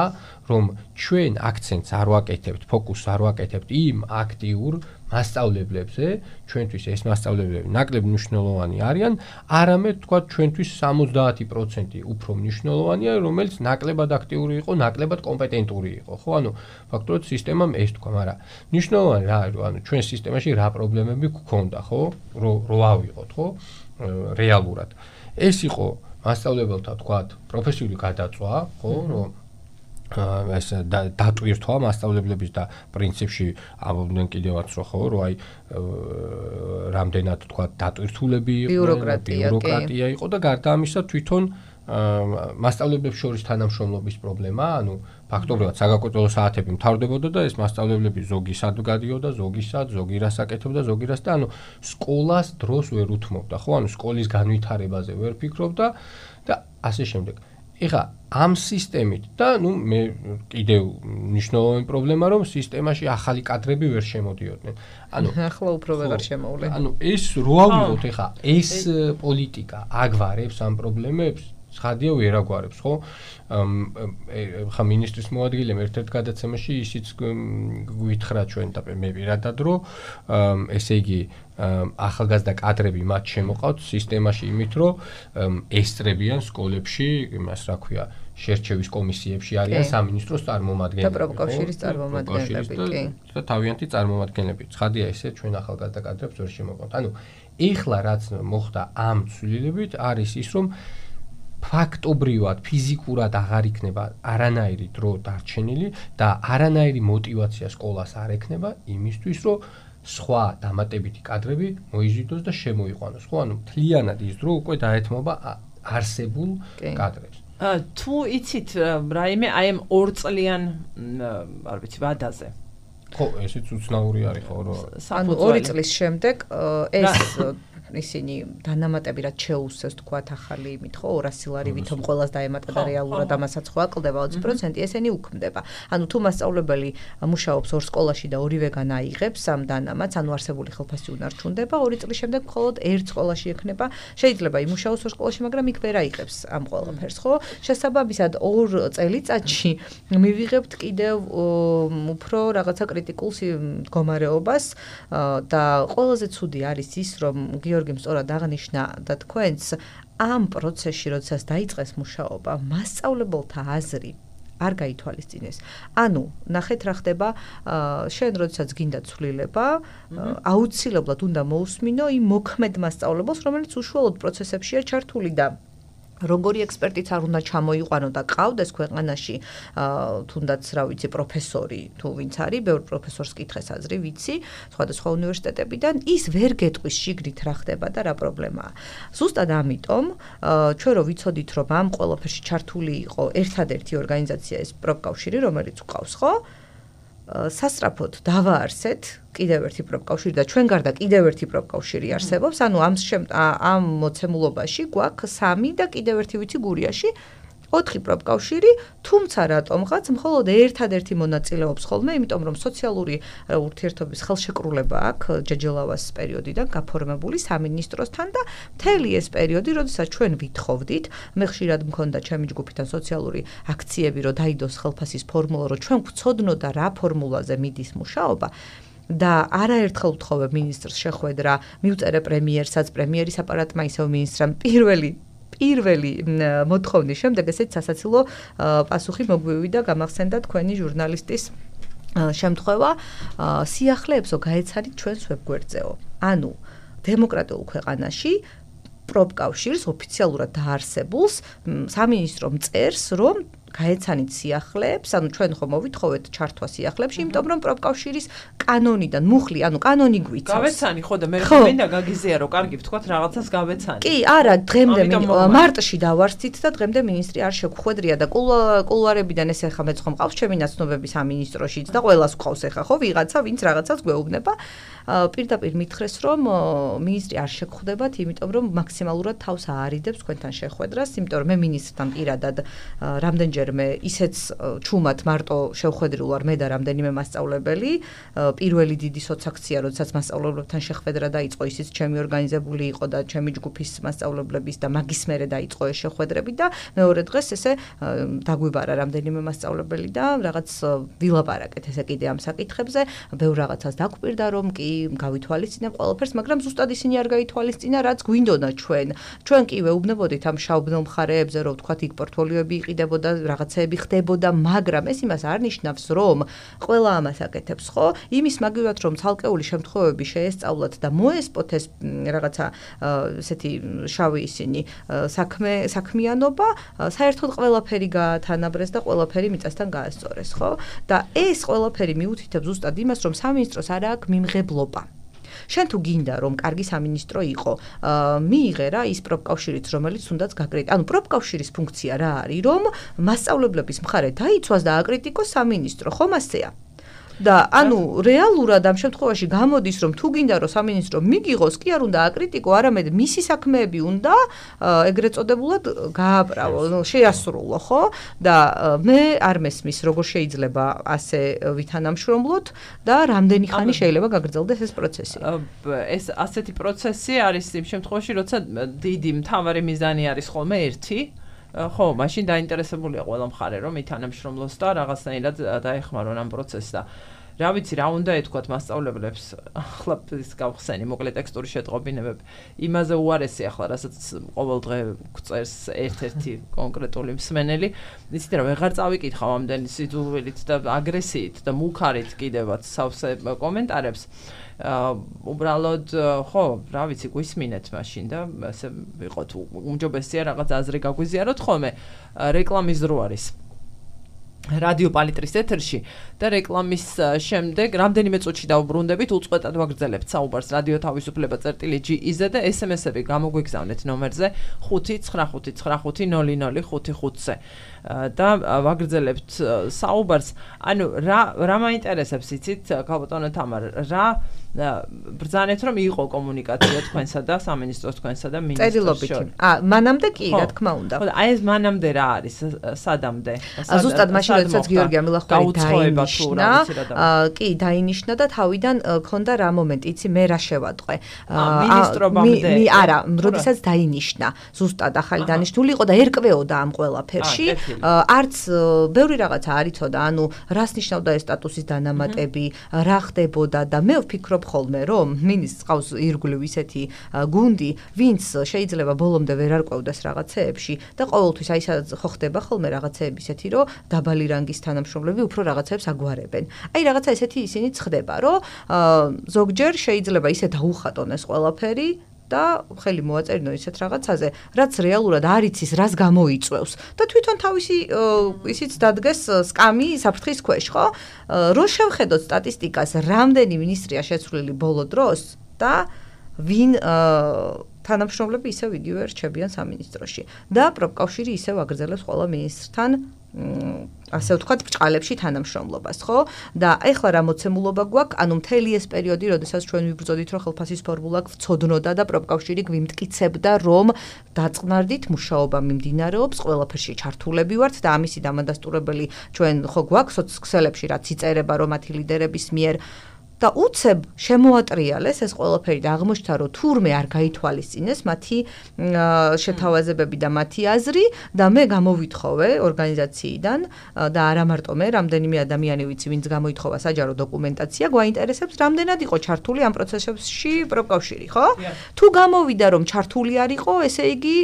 რომ ჩვენ აქცენტს არ ვაკეთებთ, ფოკუსს არ ვაკეთებთ იმ აქტიურ მასწავლებლებზე, ჩვენთვის ეს მასწავლებლები ნაკლებ მნიშვნელოვანი არიან, არამედ თქვა ჩვენთვის 70% უფრო მნიშვნელოვანია, რომელიც ნაკლებად აქტიური იყო, ნაკლებად კომპეტენტური იყო, ხო? ანუ ფაქტობრივად სისტემამ ეს თქვა, მაგრამ მნიშვნელოვანი რა არის, ანუ ჩვენ სისტემაში რა პრობლემები გქონდა, ხო? რო ავიღოთ, ხო? რეალურად. ეს იყო მასწავლებელთა თქვათ პროფესიული გადაწვა, ხო, რომ ეს დატვირთვა მასწავლებლების და პრინციპში ამბობდნენ კიდევაც რომ ხო, რომ აი რამდენად თქვათ დატვირთულები ბიუროკრატია იყო და გარდა ამისა თვითონ მასწავლებლებს შორის თანამშრომლობის პრობლემა, ანუ ფაქტობრივად საგაკვეთილო საათები მთავრდებოდა და ეს მასწავლებლები ზოგი სად გადიოდა, ზოგი სად, ზოგი რას აკეთებდა, ზოგი რას და ანუ სკოლას დროს ვერ უთმობდა, ხო? ანუ სკოლის განვითარებაზე ვერ ფიქრობდა და ასე შემდეგ. ეხა ამ სისტემით და მე კიდევ მნიშვნელოვანი პრობლემა რომ სისტემაში ახალი კადრები ვერ შემოდიოდნენ. ახლა უფრო ვეღარ შემოვლენ. ეს რო ავიღოთ ეხა ეს პოლიტიკა აგვარებს ამ პრობლემებს ცხადია ვერ აგვარებს, ხო? ხა მინისტრის მოადგილემ ერთ-ერთ გადაცემაში ისიც გვითხრა ჩვენ და მე პირადად რომ ესე იგი ახალგაზრდა კადრები მათ შემოყავთ სისტემაში იმით რომ ესწრებიან სკოლებში იმას რა ქვია შერჩევის კომისიებში არიან სამინისტროს წარმომადგენლები და პროფკავშირის წარმომადგენლები კი და თავიანთი წარმომადგენლები ცხადია ესე ჩვენ ახალგაზრდა კადრებს ვერ შემოყავთ ეხლა რაც მოხდა ამ ცვლილებით არის ის რომ ფაქტობრივად ფიზიკურად აღარ იქნება არანაირი დრო დარჩენილი და არანაირი мотиваცია სკოლას არ ექნება იმისთვის რომ სხვა დამატებითი კადრები მოიზიდოს და შემოიყვანოს ხო მთლიანად ის დრო უკვე დაეთმობა არსებულ კადრებს თუ იცით რაიმე აი ამ 2 წლიან არ ვიცი ვადაზე ხო ესეც უცნაური არის ხო რომ ანუ 2 წლის შემდეგ ეს ისინი დანამატები რაც შეუსწევს თქვათ ახალი იმით ხო 200 ლარი ვითომ ყველას დაემატა და რეალურად ამასაც ხო აკლდება 20% ესენი უქმდება. ანუ თუ მასწავლებელი მუშაობს ორ სკოლაში და ორივეგან აიღებს ამ დანამატს, ანუ არსებული ხელფასი უნარჩუნდება, 2 წლის შემდეგ მხოლოდ ერთ სკოლაში ექნება. შეიძლება იმუშაოს ორ სკოლაში, მაგრამ იქ ვერ აიღებს ამ ყველაფერს, ხო? შესაბამისად 2 წელიწადში მივიღებთ კიდევ უფრო რაღაცა კრიტიკულ მდგომარეობას და ყველაზე ცუდი არის ის, რომ გიორგიმ სწორად აღნიშნა და თქვენს ამ პროცესში, როდესაც დაიწყეს მუშაობა, მასწავლებელთა აზრი არ გაითვალისწინეს. ანუ, ნახეთ რა ხდება, შენ როდესაც გინდა ცვლილება, აუცილებლად უნდა მოусმინო იმ მოქმედ მასწავლებელს, რომელიც უშუალოდ პროცესებშია ჩართული და როგორი ექსპერტიც არ უნდა ჩამოიყვანო და ყავდეს ქვეყანაში თუნდაც რა ვიცი პროფესორი თუ ვინც არის ბევრ პროფესორს კითხეს აზრი ვიცი სხვადასხვა უნივერსიტეტებიდან ის ვერ გეტყვის შიგნით რა ხდება და რა პრობლემაა ზუსტად ამიტომ ჩვენ რო ვიცოდით რომ ამ ყველაფერში ჩართული იყო ერთადერთი ორგანიზაცია ეს პროფკავშირი რომელიც უყავს ხო სასწრაფოდ დავაარსეთ კიდევ ერთი პროფკავშირი და ჩვენ გარდა კიდევ ერთი პროფკავშირი არსებობს ანუ ამ მოცემულობაში გვაქვს 3 და კიდევ ერთი ვიცი გურიაში 4 პროფკავშირი, თუმცა რატომღაც მხოლოდ ერთადერთი მონაწილეობს ხოლმე, იმიტომ რომ სოციალური ურთიერთობის ხელშეკრულება აქვს ჯეჯელავას პერიოდიდან გაფორმებული სამინისტროსთან და მთელი ეს პერიოდი, როდესაც ჩვენ ვითხოვდით, მე ხშირად მქონდა ჩემი ჯგუფიდან სოციალური აქციები, რომ დაიდოს ხელფასის ფორმულა, რომ ჩვენ გვცოდნოდა რა ფორმულაზე მიდის მუშაობა. და არაერთხელ ვთხოვე მინისტრს შეხვედრა, მივწერე პრემიერსაც, პრემიერის აპარატმა ისევ მინისტრამ პირველი მოთხოვნის შემდეგ ესეც სასაცილო პასუხი მოგვივიდა გამახსენდა თქვენი ჟურნალისტის შემთხვევა სიახლეებსო გაეცადით ჩვენს ვებგვერდზეო. ანუ დემოკრატიულ ქვეყანაში პროფკავშირს ოფიციალურად დაარსებულს სამინისტრომ წერს რომ გაეცანით სიახლეებს, ანუ ჩვენ ხომ მოვითხოვეთ ჩართვა სიახლეებში, იმიტომ რომ პროფკავშირის კანონიდან მუხლი, ანუ კანონი გვიცავს. გავეცანი, ხო და მე მინდა გაგიზია რომ კარგი ვთქვათ რაღაცას გავეცანი. კი, არა, დღემდე მარტში დავარსით და დღემდე მინისტრი არ შეგხვედრია და კულუარებიდან ეს ახლა მეც ხომ ყავს ჩემი ნაცნობები სამინისტროშიც და ყველას ყავს ახლა ხო ვიღაცა, ვინც რაღაცას გვეუბნება. პირდაპირ მითხრეს რომ მინისტრი არ შეგხვდებათ, იმიტომ რომ მაქსიმალურად თავს აარიდებს თქვენთან შეხვედრას, იმიტომ რომ მე მინისტრთან პირადად რამდენჯერმე ისეც ჩუმად მარტო შევხვედრილ ვარ მე და რამდენიმე მასწავლებელი, პირველი დიდი სოციაქცია, როდესაც მასწავლებლებთან შეხვედრა დაიწყო, ისიც ჩემი ორგანიზებული იყო და ჩემი ჯგუფის მასწავლებლების და მაგის მერე დაიწყო ეს შეხვედრები და მეორე დღეს ესე დაგვიბარა რამდენიმე მასწავლებელი და რაღაც ვილაპარაკეთ ესე კიდე ამ საკითხებზე, ბევრ რაღაცას დაგვპირდა რომ კი გავითვალისწინებ ყველაფერს, მაგრამ ზუსტად ისინი არ გაითვალისწინა, რაც გვინდოდა ჩვენ. ჩვენ კი ვეუბნებოდით ამ შავბნელ მხარეებზე, რომ ვთქვათ იქ პორტფოლიოები იყიდებოდა, რაღაცეები ხდებოდა, მაგრამ ეს იმას არ ნიშნავს, რომ ყველა ამას აკეთებს, ხო? იმის მაგივად, რომ ცალკეული შემთხვევები შეესწავლათ და მოესპოთ ეს რაღაცა ესეთი შავი ისინი საქმიანობა, საერთოდ ყველაფერი გაათანაბრეს და ყველაფერი მიწასთან გაასწორეს, ხო? და ეს ყველაფერი მიუთითებს ზუსტად იმას, რომ სამინისტროს არ აქვს მიმღებლობა. შენ თუ გინდა რომ კარგი სამინისტრო იყო, მიიღე რა ის პროფკავშირიც, რომელიც თუნდაც გაკრიტიკოს. ანუ პროფკავშირის ფუნქცია რა არის, რომ მასწავლებლების მხარე დაიცვას და აკრიტიკოს სამინისტრო, ხომ ასეა? და ანუ რეალურად ამ შემთხვევაში გამოდის რომ თუ გინდა რომ სამინისტრო მიგიღოს კი არ უნდა აკრიტიკო, არამედ მისი საქმეები უნდა ეგრეთ წოდებულად გააправო, შეასრულო, ხო? და მე არ მესმის როგორ შეიძლება ასე ვითანამშრომლოთ და რამდენი ხანი შეიძლება გაგრძელდეს ეს პროცესი. ეს ასეთი პროცესი არის იმ შემთხვევაში, როცა დიდი მთავარი მიზანი არის ხოლმე ერთი, ხო, მაშინ დაინტერესებულია ყველა მხარე, რომ ითანამშრომლოს და რაღაცნაირად დაეხმარონ ამ პროცესს და რა ვიცი, რა უნდა ეთქვათ მასწავლებლებს, ახლა ის გავხსენი, მოკლე ტექსტური შეტყობინებები. იმაზე უარესი ახლა, რასაც ყოველ დღე გვწერს ერთ-ერთი კონკრეტული მსმენელი, იცით რა, ვეღარ წავიკითხავ ამდენი სიძულვილით და აგრესიით და მუქარით კიდევაც სავსე კომენტარებს. უბრალოდ ხო, რა ვიცი, გვისმინეთ მაშინ და ასე ვიყოთ უმჯობესია რაღაც აზრი გაგვიზიაროთ ხოლმე. რეკლამის დრო არის. რადიო პალიტრის ეთერში და რეკლამის შემდეგ რამდენიმე წუთში დავუბრუნდებით, უწყვეტად ვაგრძელებთ საუბარს რადიო თავისუფლება წერტილი.gz და SMS-ები გამოგვიგზავნეთ ნომერზე 599500555-ზე და ვაგრძელებთ საუბარს. ანუ რა მაინტერესებს იცით, ქალბატონო თამარ, რა ბრძანეთ რომ იყო კომუნიკაცია თქვენსა და სამინისტროს თქვენსა და მინისტროს შორის. მანამდე კი, რა თქმა უნდა. ხო, აი ეს მანამდე რა არის, სადამდე? ზუსტად მაშინ როდესაც გიორგი ამილახველი დაინიშნა, კი, დაინიშნა და თავიდან ქონდა რა მომენტი, იცი, მე რა შევატყვე. მინისტრობამდე. არა, როდესაც დაინიშნა, ზუსტად ახალი დანიშნული იყო და ერკვეოდა ამ ყველაფერში. არც ბევრი რაღაცა არ იცოდა, ანუ რას ნიშნავდა ეს სტატუსის დანამატები, რა ხდებოდა და მე ვფიქრობ ხოლმე, რომ მინისტრს ყავს ირგვლივ ისეთი გუნდი, ვინც შეიძლება ბოლომდე ვერ არკვევდეს რაღაცეებში და ყოველთვის აი ხო ხდება ხოლმე რაღაცეები ისეთი, რომ დაბალი რანგის თანამშრომლები უფრო რაღაცებს აგვარებენ. აი რაღაცა ესეთი ისინიც ხდება, რომ ზოგჯერ შეიძლება ისე დაუხატონ ეს ყველაფერი და ხელი მოაწერინო ისეთ რაღაცაზე, რაც რეალურად არ იცის, რას გამოიწვევს და თვითონ თავისი ისიც დადგეს სკამი საფრთხის ქვეშ, ხო? რო შევხედოთ სტატისტიკას, რამდენი მინისტრია შეცვლილი ბოლო დროს და ვინ თანამშრომლები ისევ იგივე რჩებიან სამინისტროში და პროფკავშირი ისევ აგრძელებს ყველა მინისტრთან ასე ვთქვათ, ბრჭყალებში თანამშრომლობას, ხო? და ეხლა რა მოცემულობა გვაქვს, ანუ მთელი ეს პერიოდი, როდესაც ჩვენ ვიბრძოდით, რომ ხელფასის ფორმულა გვცოდნოდა და პროფკავშირი გვიმტკიცებდა, რომ დაწყნარდით მუშაობა მიმდინარეობს, ყველაფერში ჩართულები ვართ და ამისი დამადასტურებელი ჩვენ ხო გვაქვს სოციალებში, რაც იწერება რომ მათი ლიდერების მიერ და უცებ შემოატრიალეს ეს ყველაფერი და აღმოჩნდა, რომ თურმე არ გაითვალისწინეს მათი შეთავაზებები და მათი აზრი და მე გამოვითხოვე ორგანიზაციიდან და არა მარტო მე, რამდენიმე ადამიანი ვიცი, ვინც გამოითხოვა საჯარო დოკუმენტაცია, გვაინტერესებს, რამდენად იყო ჩართული ამ პროცესებში პროფკავშირი, ხო? თუ გამოვიდა, რომ ჩართული არ იყო, ესე იგი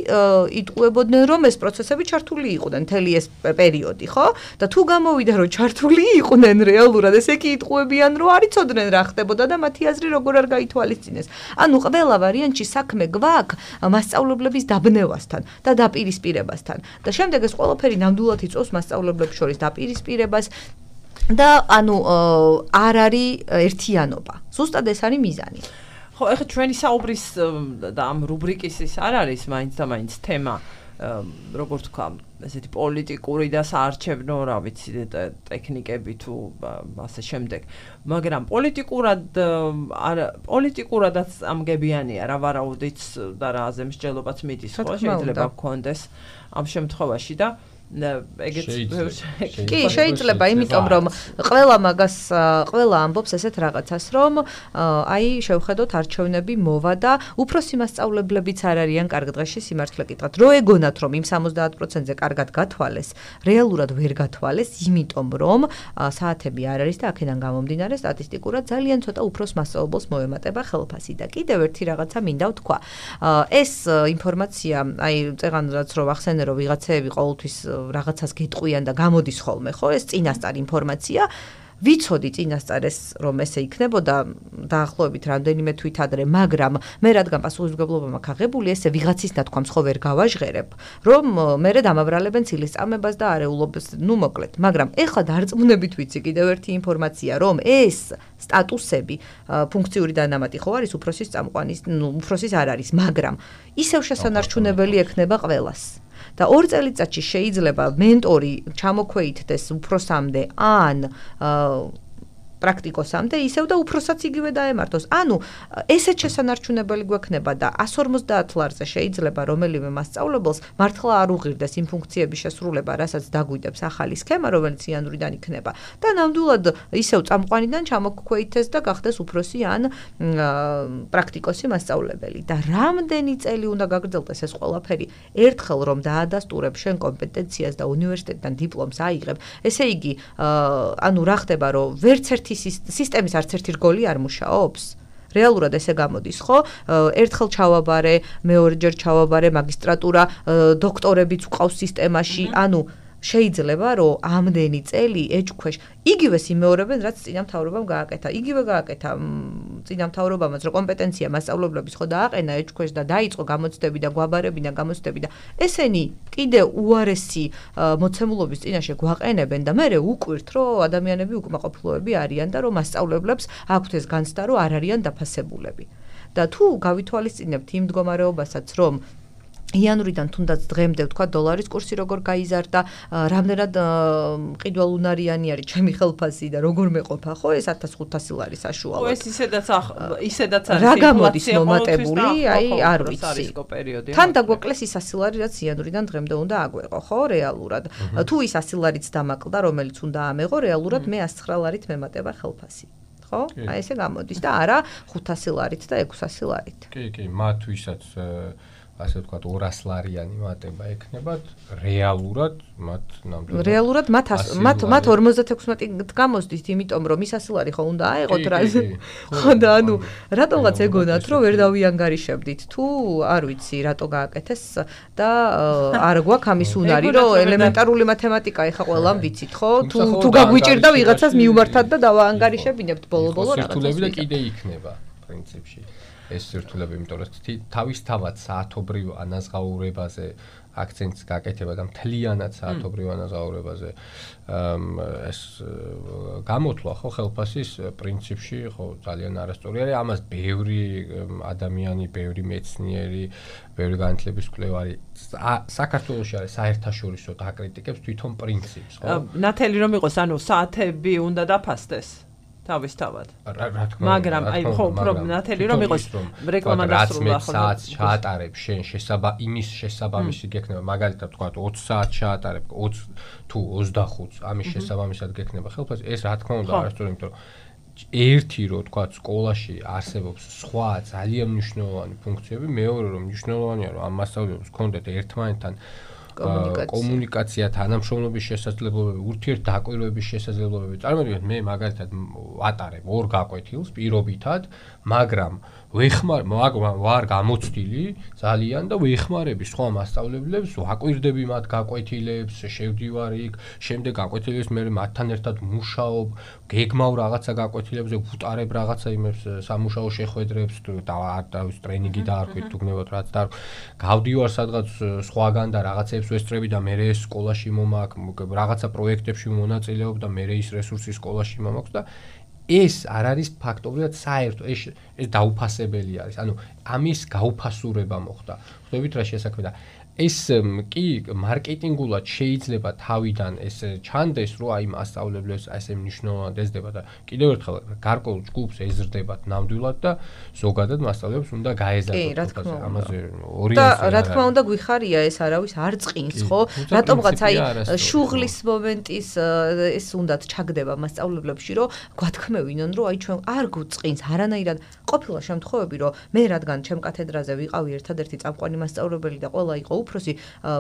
იტყუებოდნენ, რომ ეს პროცესები ჩართული იყვნენ მთელი ეს პერიოდი, ხო? და თუ გამოვიდა, რომ ჩართული იყვნენ რეალურად, ესე იგი იტყუებიან, რომ არ იცოდნენ რა ხდებოდა და მათი აზრი როგორ არ გაითვალისწინეს. ანუ ყველა ვარიანტში საქმე გვაქვს მასწავლებლების დაბნევასთან და დაპირისპირებასთან. და შემდეგ ეს ყველაფერი ნამდვილად იწვევს მასწავლებლებს შორის დაპირისპირებას და ანუ არ არის ერთიანობა. ზუსტად ეს არის მიზანი. ხო, ეხლა ჩვენი საუბრის და ამ რუბრიკის ის არ არის მაინც და მაინც თემა, როგორ თქვა, ესეთი პოლიტიკური და საარჩევნო, რა ვიცი, ტექნიკები თუ ასე შემდეგ. მაგრამ პოლიტიკურადაც ამგებიანია რა ვარაუდიც და რა აზემსჯელობაც მიდის, ხო, შეიძლება გქონდეს ამ შემთხვევაში და კი, შეიძლება, იმიტომ რომ ყველა ამბობს ესეთ რაღაცას, რომ აი შევხედოთ არჩევნები მოვა და უფროსი მასწავლებლებიც არ არიან კარგ დღეში სიმართლე კითხვით. რო ეგონათ, რომ იმ 70%-ზე კარგად გათვალეს, რეალურად ვერ გათვალეს, იმიტომ რომ საათები არ არის და აქედან გამომდინარე სტატისტიკურად ძალიან ცოტა უფროს მასწავლებელს მოემატება ხელფასი და კიდევ ერთი რაღაცა მინდა ვთქვა. ეს ინფორმაცია, აი წეღანაც რო ახსენე, რომ ვიღაცეები ყოველთვის რაღაცას გეტყვიან და გამოდის ხოლმე, ხო, ეს წინასწარ ინფორმაცია. ვიცოდი წინასწარ ეს რომ ესე იქნებოდა დაახლოებით რამდენიმე თვით ადრე, მაგრამ მე რადგან პასუხისმგებლობა მაქვს აღებული, ესე ვიღაცის ნათქვამს ხო ვერ გავაჟღერებ, რომ მე დამაბრალებენ ცილისწამებას და არეულობას, ნუ მოკლედ, მაგრამ ეხლა დარწმუნებით ვიცი კიდევ ერთი ინფორმაცია, რომ ეს სტატუსები ფუნქციური დანამატი ხო არის უფროსის წამყვანის, ნუ უფროსის არ არის, მაგრამ ისევ შესანარჩუნებელი ექნება ყველას. და 2 წელიწადში შეიძლება მენტორი ჩამოქვეითდეს უფროსამდე ან პრაქტიკოსამდე ისევ და უფროსაც იგივე დაემართოს. ანუ ესეც შესანარჩუნებელი გვექნება და 150 ლარზე შეიძლება რომელიმე მასწავლებელს მართლა არ უღირდეს იმ ფუნქციების შესრულება, რასაც დაგვიდებს ახალი სქემა, რომელიც იანვრიდან იქნება და ნამდვილად ისევ წამყვანიდან ჩამოგქვეითეს და გახდეს უფროსი ან პრაქტიკოსი მასწავლებელი. და რამდენი წელი უნდა გაგრძელდეს ეს ყველაფერი, ერთხელ რომ დაადასტურებ შენ კომპეტენციას და უნივერსიტეტიდან დიპლომს აიღებ, ესე იგი, ანუ რა ხდება, რომ ვერც ერთი სისტემის არც ერთი რგოლი არ მუშაობს. რეალურად ესე გამოდის, ხო? ერთხელ ჩავაბარე, მეორეჯერ ჩავაბარე, მაგისტრატურა, დოქტორებიც ვყავს სისტემაში, ანუ შეიძლება რომ ამდენი წელი ეჭქვეშ იგივე იმეორებენ, რაც წინამთავრობამ გააკეთა. იგივე გააკეთა წინამთავრობამაც, რომ კომპეტენცია მასწავლებლების ხო დააყენა ეჭქვეშ და დაიწყო გამოცდები და გვაბარები და გამოცდები და ესენი კიდე უარესი მოცემულობის წინაშე გვაყენებენ და მე უკვირთ, რომ ადამიანები უკმაყოფილოები არიან და რომ მასწავლებლებს აქვთ ეს განცდა, რომ არ არიან დაფასებულები. და თუ გავითვალისწინებთ იმ მდგომარეობასაც, რომ იანვრიდან თუნდაც დღემდე ვთქვა დოლარის კურსი როგორ გაიზარდა, რამდენად მყიდველუნარიანი არის ჩემი ხელფასი და როგორ მეყოფა, ხო, ეს 1500 ლარი საშუალოდ. ეს ისედაც არის. რა გამოდის მომატებული, აი არ ვიცი. თან დაგვეკლეს ის 100 ლარი, რაც იანვრიდან დღემდე უნდა აგვეყო, ხო, რეალურად. თუ ის 100 ლარიც დამაკლდა, რომელიც უნდა ამეღო, რეალურად მე 109 ლარით მემატება ხელფასი. ხო? აი ესე გამოდის და არა 500 ლარით და 600 ლარით. კი, მათ ვისაც ასე ვთქვათ 200 ლარიანი მატება ექნებათ, რეალურად მათ 56 გამოსდით, იმიტომ რომ ის 100 ლარი ხო უნდა აეღოთ რა. ხო და ანუ რატომღაც ეგონათ, რომ ვერ დავიანგარიშებდით, თუ არ ვიცი, რატო გააკეთეს და არ გვაქვს ამის უნარი, რომ ელემენტარული მათემატიკა ეხა ყველამ ვიცით, ხო? თუ გაგვიჭირდა ვიღაცას მიუმართად და დავაანგარიშებინებთ ბოლო-ბოლო რაღაცას. სირთულები და კიდე იქნება პრინციპში. ეს სირთულები, იმიტომ რომ თავისთავად საათობრივ ანაზღაურებაზე აქცენტს გაკეთება და მთლიანად საათობრივ ანაზღაურებაზე ეს გამოთვლა ხო ხელფასის პრინციპში ხო ძალიან არასწორი არის. ამას ბევრი ადამიანი, ბევრი მეცნიერი, ბევრი განათლების მკვლევარი საქართველოში არის საერთაშორისო აკრიტიკებს თვითონ პრინციპს, ხო? ნათელი რომ იყოს, ანუ საათები უნდა დაფასდეს. თავისთავად. მაგრამ აი ხო, ნათელი რომ იყოს რეკლამა დასრულდა ხო. 20 საათს ჩაატარებ შენ იმის შესაბამისი გექნება, მაგალითად თქვა 20 საათს ჩაატარებ 20 თუ 25-ს ამის შესაბამისად გექნება ხელფასი. ეს რა თქმა უნდა არასწორი, იმიტომ რომ ერთი რო თქვა სკოლაში არსებობს სხვა ძალიან მნიშვნელოვანი ფუნქციები, მეორე რომ მნიშვნელოვანია რომ ამ მასწავლებლებს ჰქონდეთ ერთმანეთთან კომუნიკაცია, თანამშრომლობის შესაძლებლობები, ურთიერთდაკვირვების შესაძლებლობები. წარმოვიდგინეთ, მე მაგალითად ვატარებ ორ გაკვეთილს პირობითად, მაგრამ ვარ გამოცდილი ძალიან და ვეხმარები სხვა მასწავლებლებს, ვაკვირდები მათ გაკვეთილებს, შევდივარ იქ, შემდეგ გაკვეთილებს მე მათთან ერთად მუშაობ, გეგმავ რაღაცა გაკვეთილებზე, ვუტარებ რაღაცა იმებს, სამუშაო შეხვედრებს, ტრენინგი დაარქვით, თუ გნებავთ რაც და გავდივარ სადღაც სხვაგან და რაღაცებს ვესწრები და მე ეს სკოლაში მომაქვს, რაღაცა პროექტებში მონაწილეობ და მე ის რესურსი სკოლაში მომაქვს და ეს არ არის ფაქტობრივად საერთო, ეს დაუფასებელი არის. ანუ ამის გაუფასურება მოხდა. ხვდებით რა შესაქმე და ეს კი მარკეტინგულად შეიძლება თავიდან ეს ჩანდეს, რომ აი მასწავლებლებს ასე მნიშვნელოვნად ესდება და კიდევ ერთხელ გარკვეულ ჯგუფს ეზრდებათ ნამდვილად და ზოგადად მასწავლებლებს უნდა გაეზარდოთ ამაზე ორიენტირება. რა თქმა უნდა გვიხარია ეს არავის არ წყინს, ხო? რატომღაც აი შუღლის მომენტის ეს უნდათ ჩაგდება მასწავლებლებში, რომ გვათქმევინონ, რომ აი ჩვენ არ გვწყინს არანაირად. ყოფილა შემთხვევები, რომ მე რადგან ჩემ კათედრაზე ვიყავი ერთადერთი წამყვანი მასწავლებელი და ყველა იყო უფროსი,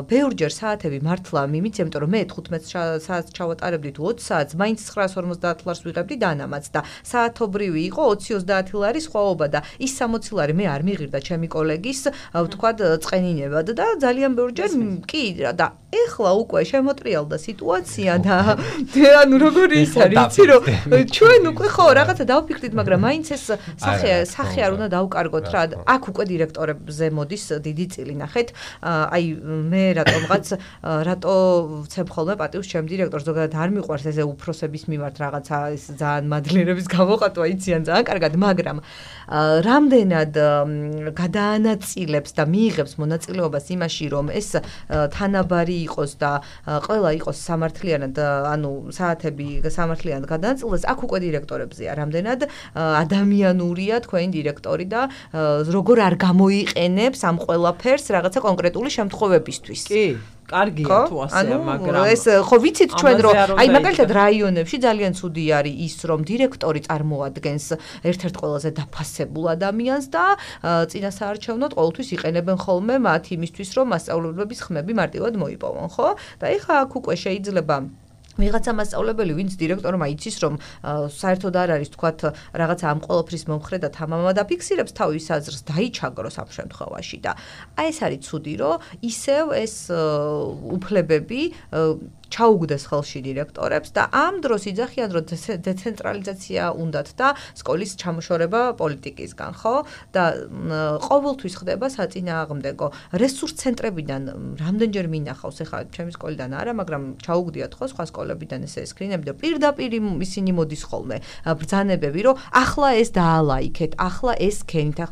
ბევრჯერ საათები მართლა მიმიც, იმიტომ რომ მე 15 საათს ჩავატარებდი თუ 20 საათს, მაინც 950 ლარს ვიღებდი დანამაც და საათობრივი იყო 20-30 ლარი სხვაობა და ის 60 ლარი მე არ მიღირდა ჩემი კოლეგის, ვთქვათ, წყენინებად და ძალიან ბევრჯერ კი და ეხლა უკვე შემოტრიალდა სიტუაცია და ანუ როგორი ის არის, იცი რომ ჩვენ უკვე ხო რაღაცა დავფიქრდით, მაგრამ მაინც ეს სახე არ უნდა დავკარგოთ რა. აქ უკვე დირექტორებზე მოდის დიდი წილი, ნახეთ. აი მე რატო ვცემ ხოლმე პატივს ჩემ დირექტორს ზოგადად არ მიყვარს ესე უფროსების მიმართ რაღაცა ეს ძალიან მადლიერების გამოყატვა იციან ძალიან კარგად მაგრამ რამდენად გადაანაწილებს და მიიღებს მონაწილეობას იმაში რომ ეს თანაბარი იყოს და ყველა იყოს სამართლიანად ანუ საათები სამართლიანად გადაანაწილდეს აქ უკვე დირექტორებზეა რამდენად ადამიანურია თქვენი დირექტორი და როგორ არ გამოიყენებს ამ ყველაფერს რაღაცა კონკრეტული შემთხვევებისთვის კი კარგია თუ ასეა მაგრამ ეს ხო ვიცით ჩვენ რომ აი მაგალითად რაიონებში ძალიან ცუდი არის ის რომ დირექტორი წარმოადგენს ერთ-ერთ ყველაზე დაფასებულ ადამიანს და წინასაარჩევნოდ ყოველთვის იყენებენ ხოლმე მათ იმისთვის რომ მასწავლებლების ხმები მარტივად მოიპოვონ ხო და ეხლა აქ უკვე შეიძლება ვიღაცა მასწავლებელი ვინც დირექტორმა იცის რომ საერთოდ არ არის თქვათ რაღაცა ამ ყოველფრის მომხრე და თამამა დაფიქსირებს თავის აზრს დაიჩაგროს ამ შემთხვევაში და აი ეს არის ცუდი რომ ისევ ეს უფლებები ჩაუგდეს ხელში დირექტორებს და ამ დროს იძახიან რომ დეცენტრალიზაცია უნდათ და სკოლის ჩამოშორება პოლიტიკისგან ხო და ყოველთვის ხდება საწინააღმდეგო რესურს ცენტრებიდან რამდენჯერ მინახავს ეხლა ჩემი სკოლიდან არა მაგრამ ჩაუგდიათ ხო სხვა სკოლებიდან ესე სკრინები და პირდაპირ ისინი მოდის ხოლმე ბრძანებები რომ ახლა ეს დაალაიქეთ ახლა ეს ქენით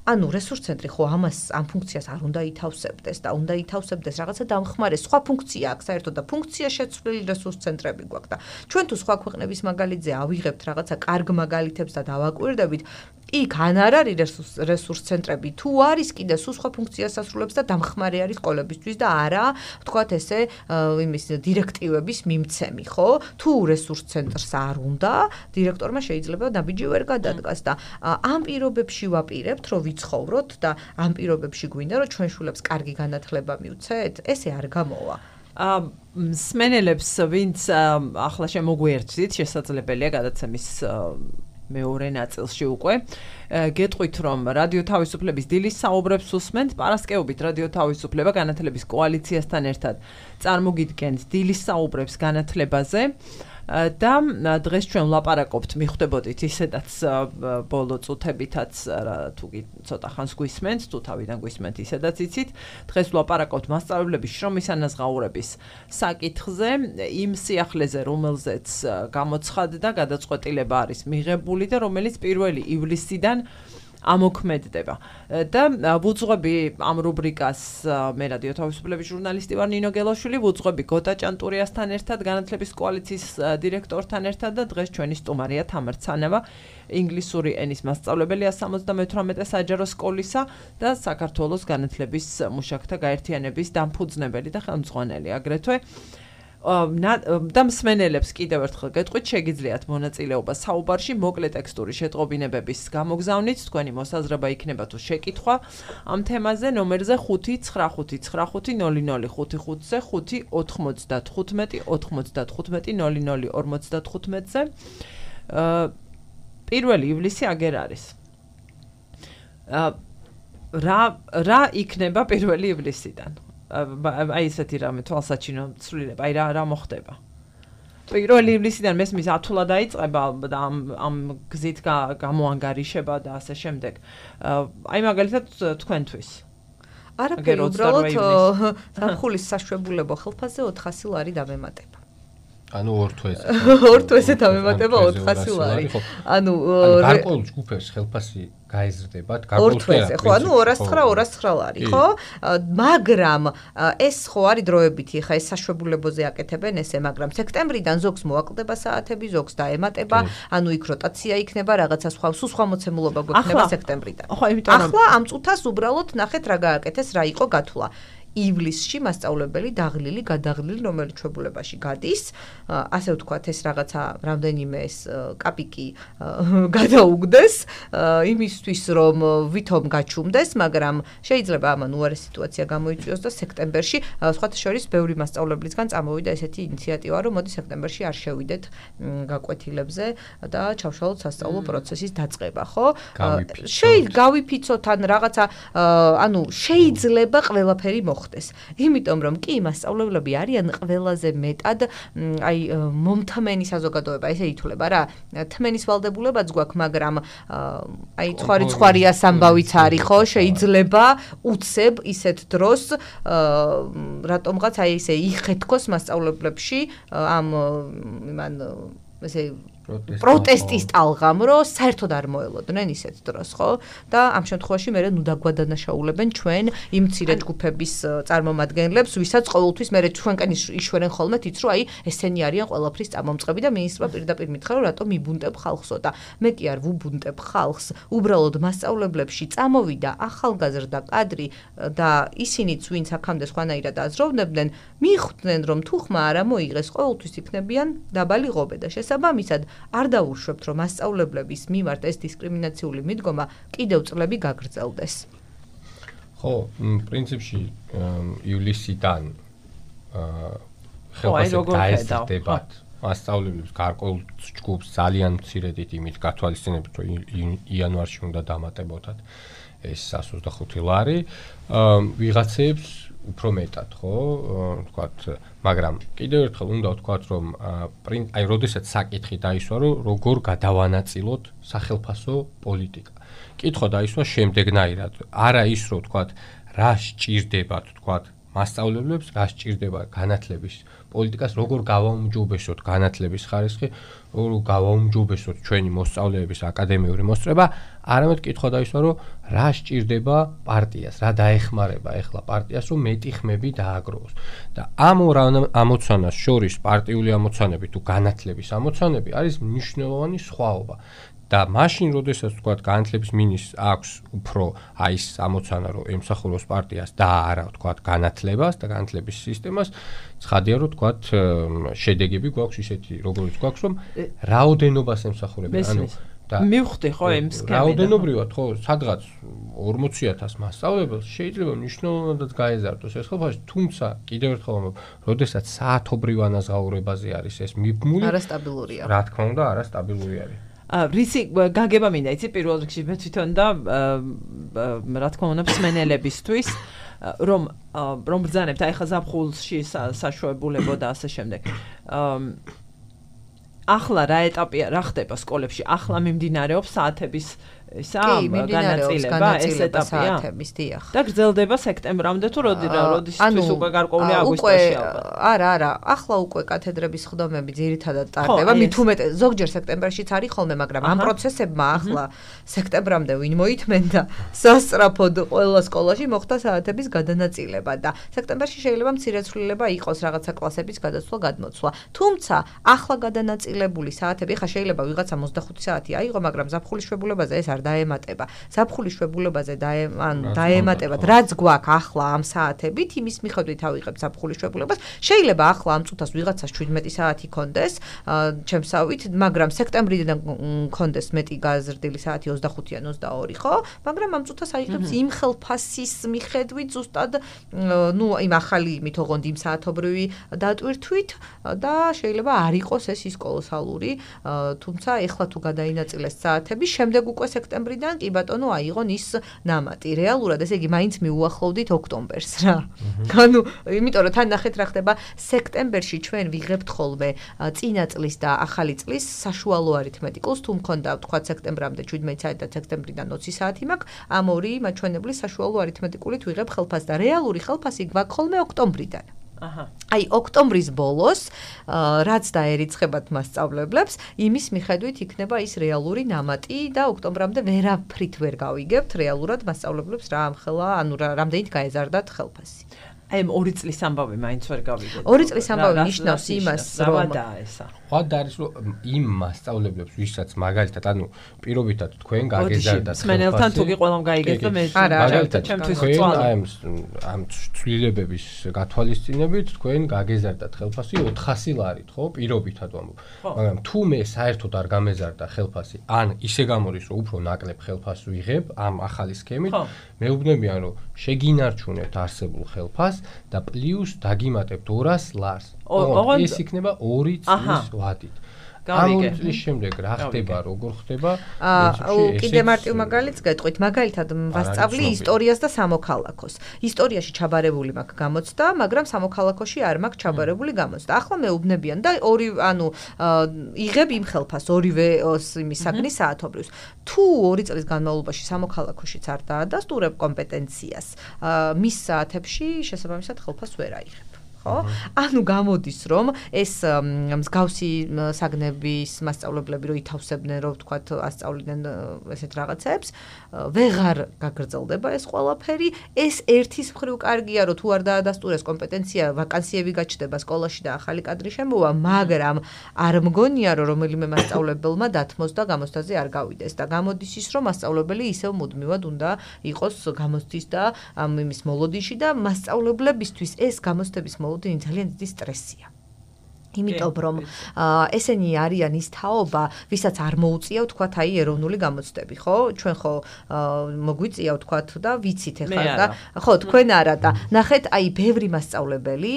ანუ რესურს ცენტრი ხო ამ ფუნქციას არ უნდა ითავსებდეს და უნდა ითავსებდეს რაღაცა დამხმარე სხვა ფუნქცია აქვს საერთოდ და ფუნქცია შეცვლილი რესურს ცენტრები გვაქვს და ჩვენ თუ სხვა ქვეყნების მაგალითზე ავიღებთ რაღაცა კარგ მაგალითებს და დავაკვირდებით იქ ან არ არის რესურს ცენტრები თუ არის კიდე სულ სხვა ფუნქციას ასრულებს და დამხმარე არის სკოლებისთვის და არა ვთქვათ ესე იმის დირექტივების მიმცემი ხო თუ რესურს ცენტრს არ უნდა დირექტორმა შეიძლება ნაბიჯი ვერ გადადგას და ამ პირობებში ვაპირებთ რომ ვიცხოვროთ და ამ პირობებში გვინდა რომ ჩვენ შულებს კარგი განათლება მივცეთ ესე არ გამოვა მსმენელებს ვინც ახლა შემოგვიერთდით შესაძლებელია გადაცემის მეორე ნაწილში უკვე გეტყვით რომ რადიო თავისუფლების დილის საუბრებს უსმენთ პარასკევობით რადიო თავისუფლება განათლების კოალიციასთან ერთად წარმოგიდგენთ დილის საუბრებს განათლებაზე და დღეს ჩვენ ვლაპარაკობთ მიხვდებოდით ისედაც ბოლო წუთებითაც თუ ცოტა ხანს გვისმენთ თუ თავიდან გვისმენთ ისედაც იცით დღეს ვლაპარაკობთ მასწავლებლების შრომის ანაზღაურების საკითხზე იმ სიახლეზე რომელზეც გამოცხადდა გადაწყვეტილება არის მიღებული და რომელიც 1 ივლისიდან ამოქმედდება და ვუძღვები ამ რუბრიკას მე რადიო თავისუფლების ჟურნალისტი ვარ ნინო გელაშვილი ვუძღვები გოტა ჭანტურიასთან ერთად განათლების კოალიციის დირექტორთან ერთად და დღეს ჩვენი სტუმარია თამარ ცანავა ინგლისური ენის მასწავლებელია 78 საჯარო სკოლისა და საქართველოს განათლების მუშაკთა გაერთიანების დამფუძნებელი და ხელმძღვანელი აგრეთვე და მსმენელებს კიდევ ერთხელ გეტყვით შეგიძლიათ მონაწილეობა საუბარში მოკლე ტექსტური შეტყობინებების გამოგზავნით თქვენი მოსაზრება იქნება თუ შეკითხვა ამ თემაზე ნომერზე 595900555-ზე 595-95-00-55-ზე 1 ივლისი აგერ არის რა იქნება 1 ივლისიდან აი ესეთი რამე თვალსაჩინო ცვლილება, აი რა მოხდება. 1 ივლისიდან მესმის ათულა დაიწყება და ამ გზით გამოანგარიშება და ასე შემდეგ. აი მაგალითად თქვენთვის. არაფერი უბრალოდ ზაფხულის საშვებულებო ხელფასზე 400 ლარი დამემატება. ანუ ორ თვეზე. ორ თვეზე დამემატება 400 ლარი. ანუ გარკვეულ ჯგუფებს ხელფასი გაიზრდება ორ თვეზე ხო ანუ 209 ლარი ხო მაგრამ ეს ხო არის დროებითი ხა ეს საშვებულებოზე აკეთებენ ესე მაგრამ სექტემბრიდან ზოგს მოაკლდება საათები ზოგს დაემატება ანუ იქ როტაცია იქნება რაღაცა სხვა მოცემულობა გვექნება სექტემბრიდან ახლა ამ წუთას უბრალოდ ნახეთ რა გააკეთეს რა იყო გათვლა ივლისში მასწავლებელი გადაღლილი რომელიც ჩვეულებაში გადის ასე ვთქვათ ეს რაღაცა რამდენიმე ეს კაპიკი გადაუგდეს იმისთვის რომ ვითომ გაჩუმდეს მაგრამ შეიძლება ამან უარეს სიტუაცია გამოიწვიოს და სექტემბერში სხვათა შორის ბევრი მასწავლებლისგან წამოვიდა ესეთი ინიციატივა რომ მოდი სექტემბერში არ შევიდეთ გაკვეთილებზე და ჩავშალოთ სასწავლო პროცესის დაწყება ხო გავიფიცოთ ან რაღაცა ანუ შეიძლება ყველაფერი მოხდეს მოხდეს. იმიტომ რომ კი მასწავლებლები არიან ყველაზე მეტად აი მომთმენი საზოგადოება, ესე ითვლება რა. თმენის ვალდებულებაც გვაქვს, მაგრამ აი ცხარია სამბავიც არის, ხო, შეიძლება უცებ ისეთ დროს რატომღაც აი ესე იხეთქოს მასწავლებლებში ამ იმან ესე პროტესტის ტალღამ, რომ საერთოდ არ მოელოდნენ ისეთ დროს, ხო? და ამ შემთხვევაში მე ნუ დაგვადანაშაულებენ ჩვენ იმ მცირე ჯგუფების წარმომადგენლებს, ვისაც ყოველთვის მე ჩვენკენ იშვერენ ხოლმე თიც, რომ აი ესენი არიან ყველაფრის წამომწყები და მინისტრმა პირდაპირ მითხრა, რომ რატომ იბუნტებ ხალხსო და მე კი არ ვუბუნტებ ხალხს, უბრალოდ მასწავლებლებში წამოვიდა ახალგაზრდა კადრი და ისინიც ვინც აქამდე სხვანაირად აზროვნებდნენ, მიხვდნენ რომ თუ ხმა არ ამოიღეს, ყოველთვის იქნებიან დაბალი ღობე და შესაბამისად არ დაუშვებთ, რომ მასწავლებლების მიმართ ეს დისკრიმინაციული მიდგომა კიდევ წლები გაგრძელდეს. ხო, პრინციპში ივლისიდან ხელფასები დაესწრებათ მასწავლებლებს გარკვეულ ჯგუფს ძალიან მცირედით იმით გათვალისწინებით, რომ იანვარში უნდა დამატებოდათ ეს 125 ლარი, ვიღაცებს უფრო მეტად, ხო, ვთქვათ, მაგრამ კიდევ ერთხელ უნდა ვთქვათ, რომ აი, როდესაც საკითხი დაისვა, რომ როგორ გადავანაწილოთ სახელფასო პოლიტიკა. კითხვა დაისვა შემდეგნაირად, არა ის, რომ ვთქვათ, რა სჭირდებათ, ვთქვათ, მასწავლებლებს, რა სჭირდება განათლების პოლიტიკას, როგორ გავაუმჯობესოთ განათლების ხარისხი, როგორ გავაუმჯობესოთ ჩვენი მოსწავლეების აკადემიური მოსწრება, არამედ კითხვა დაისვა, რომ რა სჭირდება პარტიას, რა დაეხმარება ახლა პარტიას, რომ მეტი ხმები დააგროვოს. და ამ ორ ამოცანას შორის პარტიული ამოცანები თუ განათლების ამოცანები არის მნიშვნელოვანი სხვაობა. და მაშინ, როდესაც ვთქვათ, განათლების მინისტრს აქვს უფრო აი ეს ამოცანა, რომ ემსახუროს პარტიას და არა ვთქვათ განათლებას და განათლების სისტემას, ცხადია, რომ ვთქვათ, შედეგები გვაქვს ისეთი, როგორიც გვაქვს, რომ რაოდენობას ემსახურებენ. ანუ და მივხვდი ხო იმ სქემიდან. რაოდენობრივად ხო, სადღაც 40,000 მასწავლებელს შეიძლება მნიშვნელოვნად გაეზარდოს ეს ხელფასი, თუმცა კიდევ ერთხელ ვამბობ, როდესაც საათობრივ ანაზღაურებაზე არის ეს მიბმული, არასტაბილურია. რა თქმა უნდა, არასტაბილური არის. რისი გაგება მინდა იცი პირველ რიგში მე თვითონ და რა თქმა უნდა მსმენელებისთვის რომ ბრძანებთ აი ხა ზაფხულში საშუალებულებო და ასე შემდეგ ახლა რა ეტაპია რა ხდება სკოლებში ახლა მიმდინარეობს საათების ისა განაწილება ეს ეტაპია და გრძელდება სექტემბრამდე თუ როდისთვის უკვე გარკვეული აგვისტოში ალბათ არა ახლა უკვე კათედრების ხდომები ძირითადად ტარდება მით უმეტეს ზოგჯერ სექტემბერშიც არის ხოლმე მაგრამ ამ პროცესებმა ახლა სექტემბრამდე ვინ მოითმენდა სასწრაფოდ ყველა სკოლაში მოხდა საათების გადანაწილება და სექტემბერში შეიძლება მცირეცვლილება იყოს რაღაცა კლასების გადაცვლა გადმოცვლა თუმცა ახლა გადანაწილებული საათები ხა შეიძლება ვიღაცა 25 საათი აიღო მაგრამ ზაფხულის შვებულებაზე ეს დაემატება. ზაფხულის შვებულებაზე დაემატებათ, რაც გვაქვს ახლა ამ საათებით, იმის მიხედვით ავიღებთ ზაფხულის შვებულებას. შეიძლება ახლა ამ წუთას ვიღაცას 17 საათი კონდეს, ჩემსავით, მაგრამ სექტემბრიდან კონდეს მეტი გაზრდილი საათი 25-ან 22, ხო? მაგრამ ამ წუთას აიღებს იმ ხელფასის მიხედვით ზუსტად, ნუ იმ ახალი იმით ოღონდ იმ საათობრივი დატვირთვით და შეიძლება არ იყოს ეს ის კოლოსალური, თუმცა ეხლა თუ გადაინაწილეს საათები, შემდეგ უკვე სექტემბრიდან კი ბატონო აიღონ ის ნამატი. რეალურად ესე იგი მაინც მიუახლოვდით ოქტომბერს რა. ანუ იმიტომ რომ თან ნახეთ რა ხდება სექტემბერში ჩვენ ვიღებთ ხოლმე წინა წლის და ახალი წლის საშუალო არითმეტიკულს თუ მქონდა ვთქვათ სექტემბრამდე 17 საათი და სექტემბრიდან 20 საათი მაქვს ამ ორი მაჩვენებლის საშუალო არითმეტიკულით ვიღებ ხელფასს და რეალური ხელფასი გვაქვს ხოლმე ოქტომბრიდან. აი ოქტომბრის ბოლოს რაც დაერიცხებათ მასწავლებლებს იმის მიხედვით იქნება ის რეალური ნამატი და ოქტომბრამდე ვერაფრით ვერ გავიგებთ რეალურად მასწავლებლებს რა ამხელა ანუ რამდენით გაეზარდათ ხელფასი აი 2 წლის ამბავი მაინც ვერ გავიგეთ 2 წლის ამბავი ნიშნავს იმას რომ ხვალ არის რომ იმ მასწავლებლებს ვისაც მაგალითად ანუ პირობითად თქვენ გაგეზარდათ მსმენელთან თუ კი ყველამ გაიგეთ და მე მაგალითად ჩემთვის ამ ცვლილებების გათვალისწინებით თქვენ გაგეზარდათ ხელფასი 400 ლარით ხო პირობითად ვამბობ მაგრამ თუ მე საერთოდ არ გამეზარდა ხელფასი ან ისე გამოდის რომ უფრო ნაკლებ ხელფასს ვიღებ ამ ახალი სქემით მეუბნებიან რომ შეგინარჩუნებთ არსებულ ხელფასს და პლუს დაგიმატებთ 200 ლარს ეს იქნება 2 წლის ვადით. გავიგე. ამ წლის შემდეგ რა ხდება, როგორ ხდება? კიდე მარტივ მაგალითს გეტყვით, მაგალითად ვასწავლი ისტორიას და სამოქალაქოს. ისტორიაში ჩაბარებული მაქვს გამოცდა, მაგრამ სამოქალაქოში არ მაქვს ჩაბარებული გამოცდა. ახლა მეუბნებიან და ორი იღებ იმ ხელფას ორივე იმის საგნის საათობრივს. თუ 2 წლის განმავლობაში სამოქალაქოშიც არ დაადასტურებ კომპეტენციას, მის საათებში შესაბამისად ხელფას ვერ აიღებ. ანუ გამოდის რომ ეს მსგავსი საგნების მასწავლებლები რო ითავსებდნენ რო ვთქვათ ასწავლიდნენ ესეთ რაღაცებს ვეღარ გაგრძელდება ეს ყველაფერი ეს ერთის მხრივ კარგია რომ თუ არ დაადასტურეს კომპეტენცია ვაკანსიები გაჩნდება სკოლაში და ახალი კადრი შემოვა მაგრამ არ მგონია რომ რომელიმე მასწავლებელმა დათმოს და გამოცდაზე არ გავიდეს და გამოდის ის რომ მასწავლებელი ისევ მუდმივად უნდა იყოს გამოცდის და იმის მოლოდინში და მასწავლებლებისთვის ეს გამოცდების ძალიან დიდი სტრესია. იმიტომ რომ ესენი არიან ის თაობა, ვისაც არ მოუწია ვთქვათ აი ეროვნული გამოცდები, ხო? ჩვენ ხო მოგვიწია ვთქვათ და ვიცით ახლა და ხო თქვენ არა და ნახეთ აი ბევრი მასწავლებელი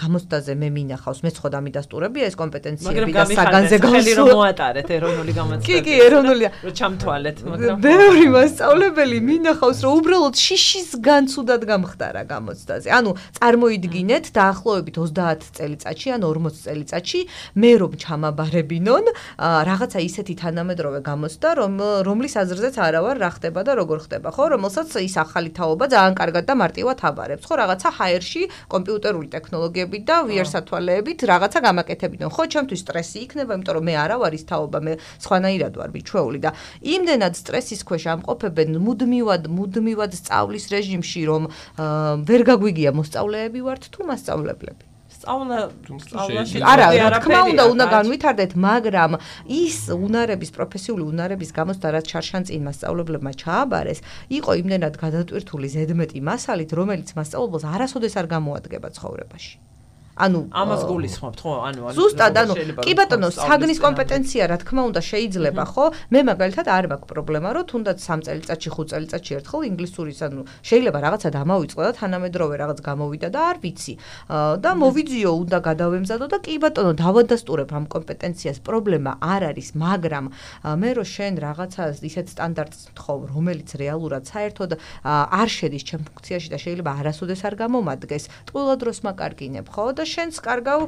გამოცდაზე მე მინახავს, მეც ხო დამიდასტურებია ეს კომპეტენციები და საგანზე გავსული რომ მოატარეთ ეროვნული გამოცდები. კი, ეროვნულია. რომ ჩამთვალეთ, მაგრამ ბევრი მასწავლებელი მინახავს რომ უბრალოდ შიშის განცუდად გამხდარა გამოცდაზე. ანუ წარმოიდგინეთ დაახლოებით 30 წელიწადში ან 40 წელიწადში მე რომ ჩამაბარებინონ რაღაცა ისეთი თანამედროვე გამოცდა რომლის აზრზეც არა ვარ რა ხდება და როგორ ხდება ხო რომელსაც ის ახალი თაობა ძალიან კარგად და მარტივად აბარებს ხო რაღაცა ჰაერში კომპიუტერული ტექნოლოგიებით და VR სათვალეებით რაღაცა გამაკეთებინონ ხო ჩემთვის სტრესი იქნება იმიტომ რომ მე არა ვარ ის თაობა მე სხვანაირად ვარ მიჩვეული და იმდენად სტრესის ქვეშ ამყოფებენ მუდმივად სწავლის რეჟიმში რომ ვერ გაგვიგია მოსწავლეები ვართ თუ მასწავლებლები სწავლაში არა რა თქმა უნდა განვითარდეთ მაგრამ ის უნარების პროფესიული უნარების გამოცდა რაც ჩარშანწინ მასწავლებლებმა ჩააბარეს იყო იმდენად გადატვირთული ზედმეტი მასალით რომელიც მასწავლებელს არასოდეს არ გამოადგება ცხოვრებაში ანუ ამას გულისხმობთ ხო ანუ ზუსტად ანუ კი ბატონო საგნის კომპეტენცია რა თქმა უნდა შეიძლება ხო მე მაგალითად არ მაქვს პრობლემა რომ თუნდაც 3 წელიწადში 5 წელიწადში ერთხელ ინგლისურის ანუ შეიძლება რაღაცა დამავიწყო და თანამედროვე რაღაც გამოვიდა და არ ვიცი და მოვიძიო უნდა გადავემზადო და კი ბატონო დავადასტურებ ამ კომპეტენციას პრობლემა არ არის მაგრამ მე რო შენ რაღაცა ისეთ სტანდარტს თხოვ რომელიც რეალურად საერთოდ არ შედის ჩემ ფუნქციაში და შეიძლება არასოდეს არ გამომადგეს ტყუილად დროს მაკარგინებ ხო და შენს კარგავ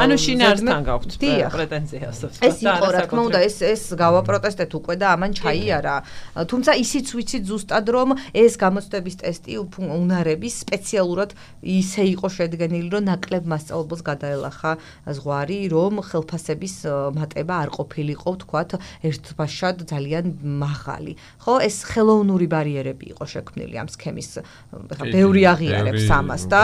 ანუ შინაარსთან გაქვთ პრეტენზიას ეს იყო რა თქმა უნდა ეს გავაპროტესტეთ უკვე და ამან ჩაიარა თუმცა ისიც ვიცით ზუსტად რომ ეს გამოცდების ტესტი უნარების სპეციალურად ისე იყო შედგენილი რომ ნაკლებ მასწავლებელს გადაელახა ზღვარი რომ ხელფასების მატება არ ყოფილიყო ვთქვათ ერთბაშად ძალიან მაღალი ხო ეს ხელოვნური ბარიერები იყო შექმნილი ამ სქემის ხა ბევრი აღიარებს ამას და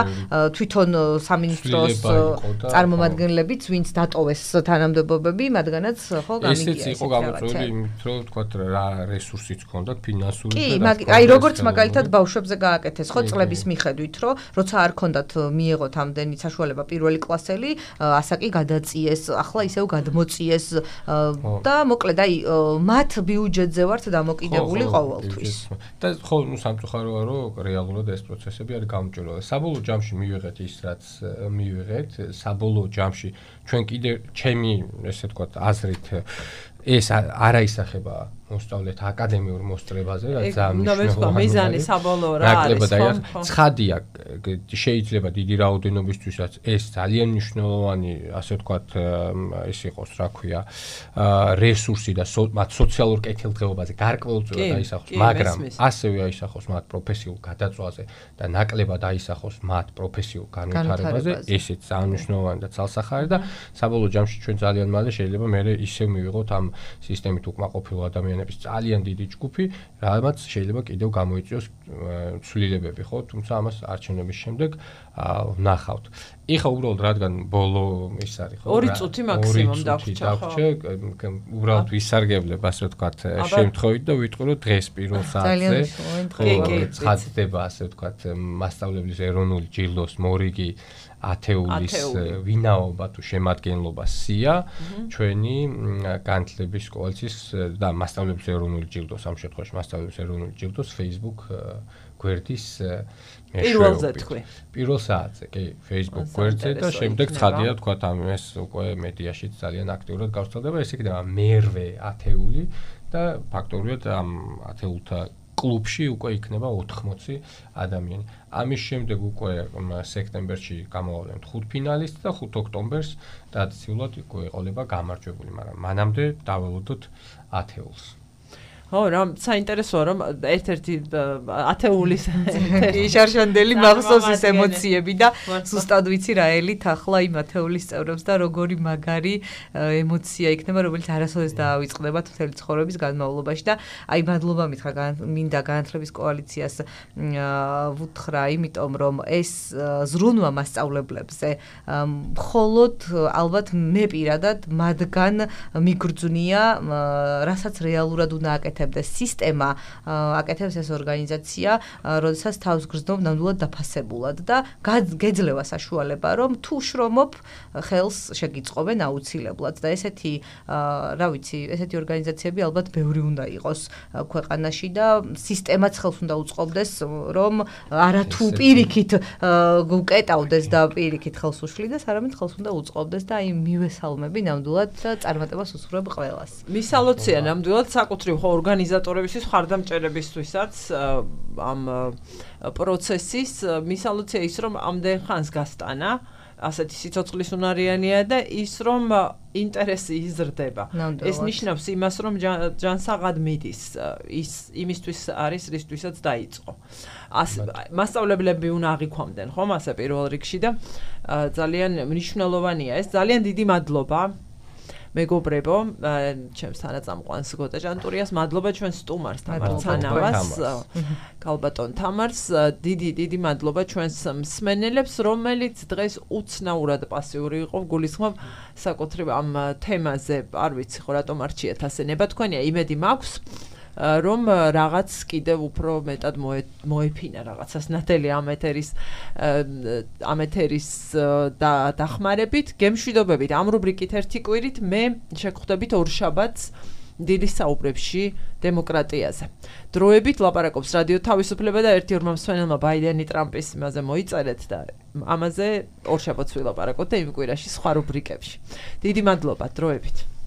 თვითონ სამინისტროს წარმომადგენლებიც ვინც დატოვეს თანამდებობები მათგანაც ხო გამიგია ესეც იყო გამოწვეული იმით რომ ვთქვათ რა რესურსიც ჰქონდათ ფინანსური კი აი როგორც მაგალითად ბავშვებზე გააკეთეს ხო წლების მიხედვით რომ როცა არ ჰქონდათ მიიღოთ ამდენი საშუალება პირველი კლასელი ასაკი გადაწიეს ახლა ისევ გადმოწიეს და მოკლედ აი მათ ბიუჯეტზე ვართ დამოკიდებული ყოველთვის და ხო ნუ სამწუხაროა რომ რეალურად ეს პროცესები არის გამჭვირვალე საბოლოო ჯამში მივიღეთ ის რაც მივიღეთ საბოლოო ჯამში ჩვენ კიდე ჩემი ესე ვთქვათ აზრით ეს არა ისახება მოსწავლეთა აკადემიურ მოსწრებაზე რაც ძალიან მიზანი საბოლოო რა არის ცხადია შეიძლება დიდი რაოდენობისთვისაც ეს ძალიან მნიშვნელოვანი ასე ვთქვათ ეს იყოს რა ქვია რესურსი და მათ სოციალურ კეთილდღეობაზე გარკვეულწილად აისახოს მაგრამ ასევე აისახოს მათ პროფესიულ გადაწვაზე და ნაკლებად აისახოს მათ პროფესიულ განვითარებაზე ესეც ძალიან მნიშვნელოვანი და ცალსახარი და საბოლოო ჯამში ჩვენ ძალიან მალე შეიძლება მე ისევ მივიღოთ ამ სისტემით უკმაყოფილ ადამიანების ძალიან დიდი ჯგუფი, რამაც შეიძლება კიდევ გამოიწვიოს ცვლილებები, ხო? თუმცა ამას არჩევნების შემდეგ ვნახავთ. ეხა უბრალოდ რადგან ბოლო ის არის, ხო? 2 წუთი მაქსიმუმ დაგვრჩა, უბრალოდ ვისარგებლებ, ასე ვთქვათ, შემთხვევით და ვიტყვი, რომ დღეს პირველ საათზე ცხადდება, ასე ვთქვათ, მასწავლებლის ეროვნული ჯილდოს მორიგი ათეულის ვინაობა თუ შემადგენლობა სია ჩვენი განათლების კოალიციის და მასწავლებლის ეროვნული ჯილდოს ამ შემთხვევაში მასწავლებლების ეროვნული ჯილდოს Facebook გვერდის პირველზე თქვი. პირველ საათზე, კი, Facebook გვერდზე და შემდეგ ცხადია თქვა ამ ეს უკვე მედიაშიც ძალიან აქტიურად გავრცელდება, ეს იქნება მერვე ათეული და ფაქტობრივად ამ ათეულთა კლუბში უკვე იქნება 80 ადამიანი. ამის შემდეგ უკვე სექტემბერში გამოვავლენთ 5 ფინალისტს და 5 ოქტომბერს ტრადიციულად უკვე ეყოლება გამარჯვებული, მაგრამ მანამდე დაველოდოთ ათეულს. ხო, რა საინტერესოა რომ ერთ-ერთი ათეულის შარშანდელი მახსოვს ეს ემოციები და ზუსტად ვიცი რა ელით ახლა იმ ათეულის წევრებს და როგორი მაგარი ემოცია იქნება, რომელიც არასოდეს დაავიწყდება მთელი ცხოვრების განმავლობაში და აი მადლობა მითხრა მინდა განათლების კოალიციას ვუთხრა, იმიტომ რომ ეს ზრუნვა მასწავლებლებზე მხოლოდ ალბათ მე პირადად მათგან მიგრძნია, რასაც რეალურად უნდა აკეთებდეს სისტემა, აკეთებს ეს ორგანიზაცია, როდესაც თავს გრძნով ნამდვილად დაფასებულად და გეძლევა საშუალება, რომ თუ შრომობ, ხელს შეგიწყობენ აუცილებლად და ესეთი, რა ვიცი, ესეთი ორგანიზაციები ალბათ ბევრი უნდა იყოს ქვეყანაში და სისტემაც ხელს უნდა უწყობდეს, რომ არათუ პირიქით გუკეტავდეს და პირიქით ხელს უშლიდეს, არამედ ხელს უნდა უწყობდეს და აი მივესალმები ნამდვილად და წარმატებას უსურვებ ყველას. მისალოცია ნამდვილად საკუთრივ ორგანიზატორებისთვის, ხარდამჭერებისთვისაც ამ პროცესის მისალოცია ის, რომ ამდენ ხანს გასტანა, ასეთი სიცოცხლის უნარიანია და ის, რომ ინტერესი იზრდება. ეს ნიშნავს იმას, რომ ჯანსაღად მიდის, ის იმისთვის არის, რისთვისაც დაიწყო. მასწავლებლები უნდა აღიქვამდნენ, ხომ, ასე პირველ რიგში და ძალიან მნიშვნელოვანია ეს. ძალიან დიდი მადლობა მეგობრებო, ჩემს თანაწამყვანს გოტა ჟანტურიას, მადლობა ჩვენ სტუმარს თამარ ცანავას, კალბატონ თამარს, დიდი მადლობა ჩვენს მსმენელებს, რომელიც დღეს უცნაურად პასიური იყო, გულისხმობ საკუთრივ ამ თემაზე, არ ვიცი ხო რატომ არჩიეთ ასე ნება, თქვენია იმედი მაქვს, რომ რაღაც კიდევ უფრო მეტად მოეფინა რაღაცას ნათელი ამ ეთერის დახმარებით, გემშვიდობებით ამ რუბრიკით ერთი კვირით მე შეგხვდებით ორშაბათს დილის საუბრებში დემოკრატიაზე. დროებით ლაპარაკობს რადიო თავისუფლება და ერთი-ორმა მსმენელმა ბაიდენი ტრამპის იმაზე მოიწერეთ და ამაზე ორშაბათს ვილაპარაკოთ და იმ კვირაში სხვა რუბრიკებში. დიდი მადლობა, დროებით.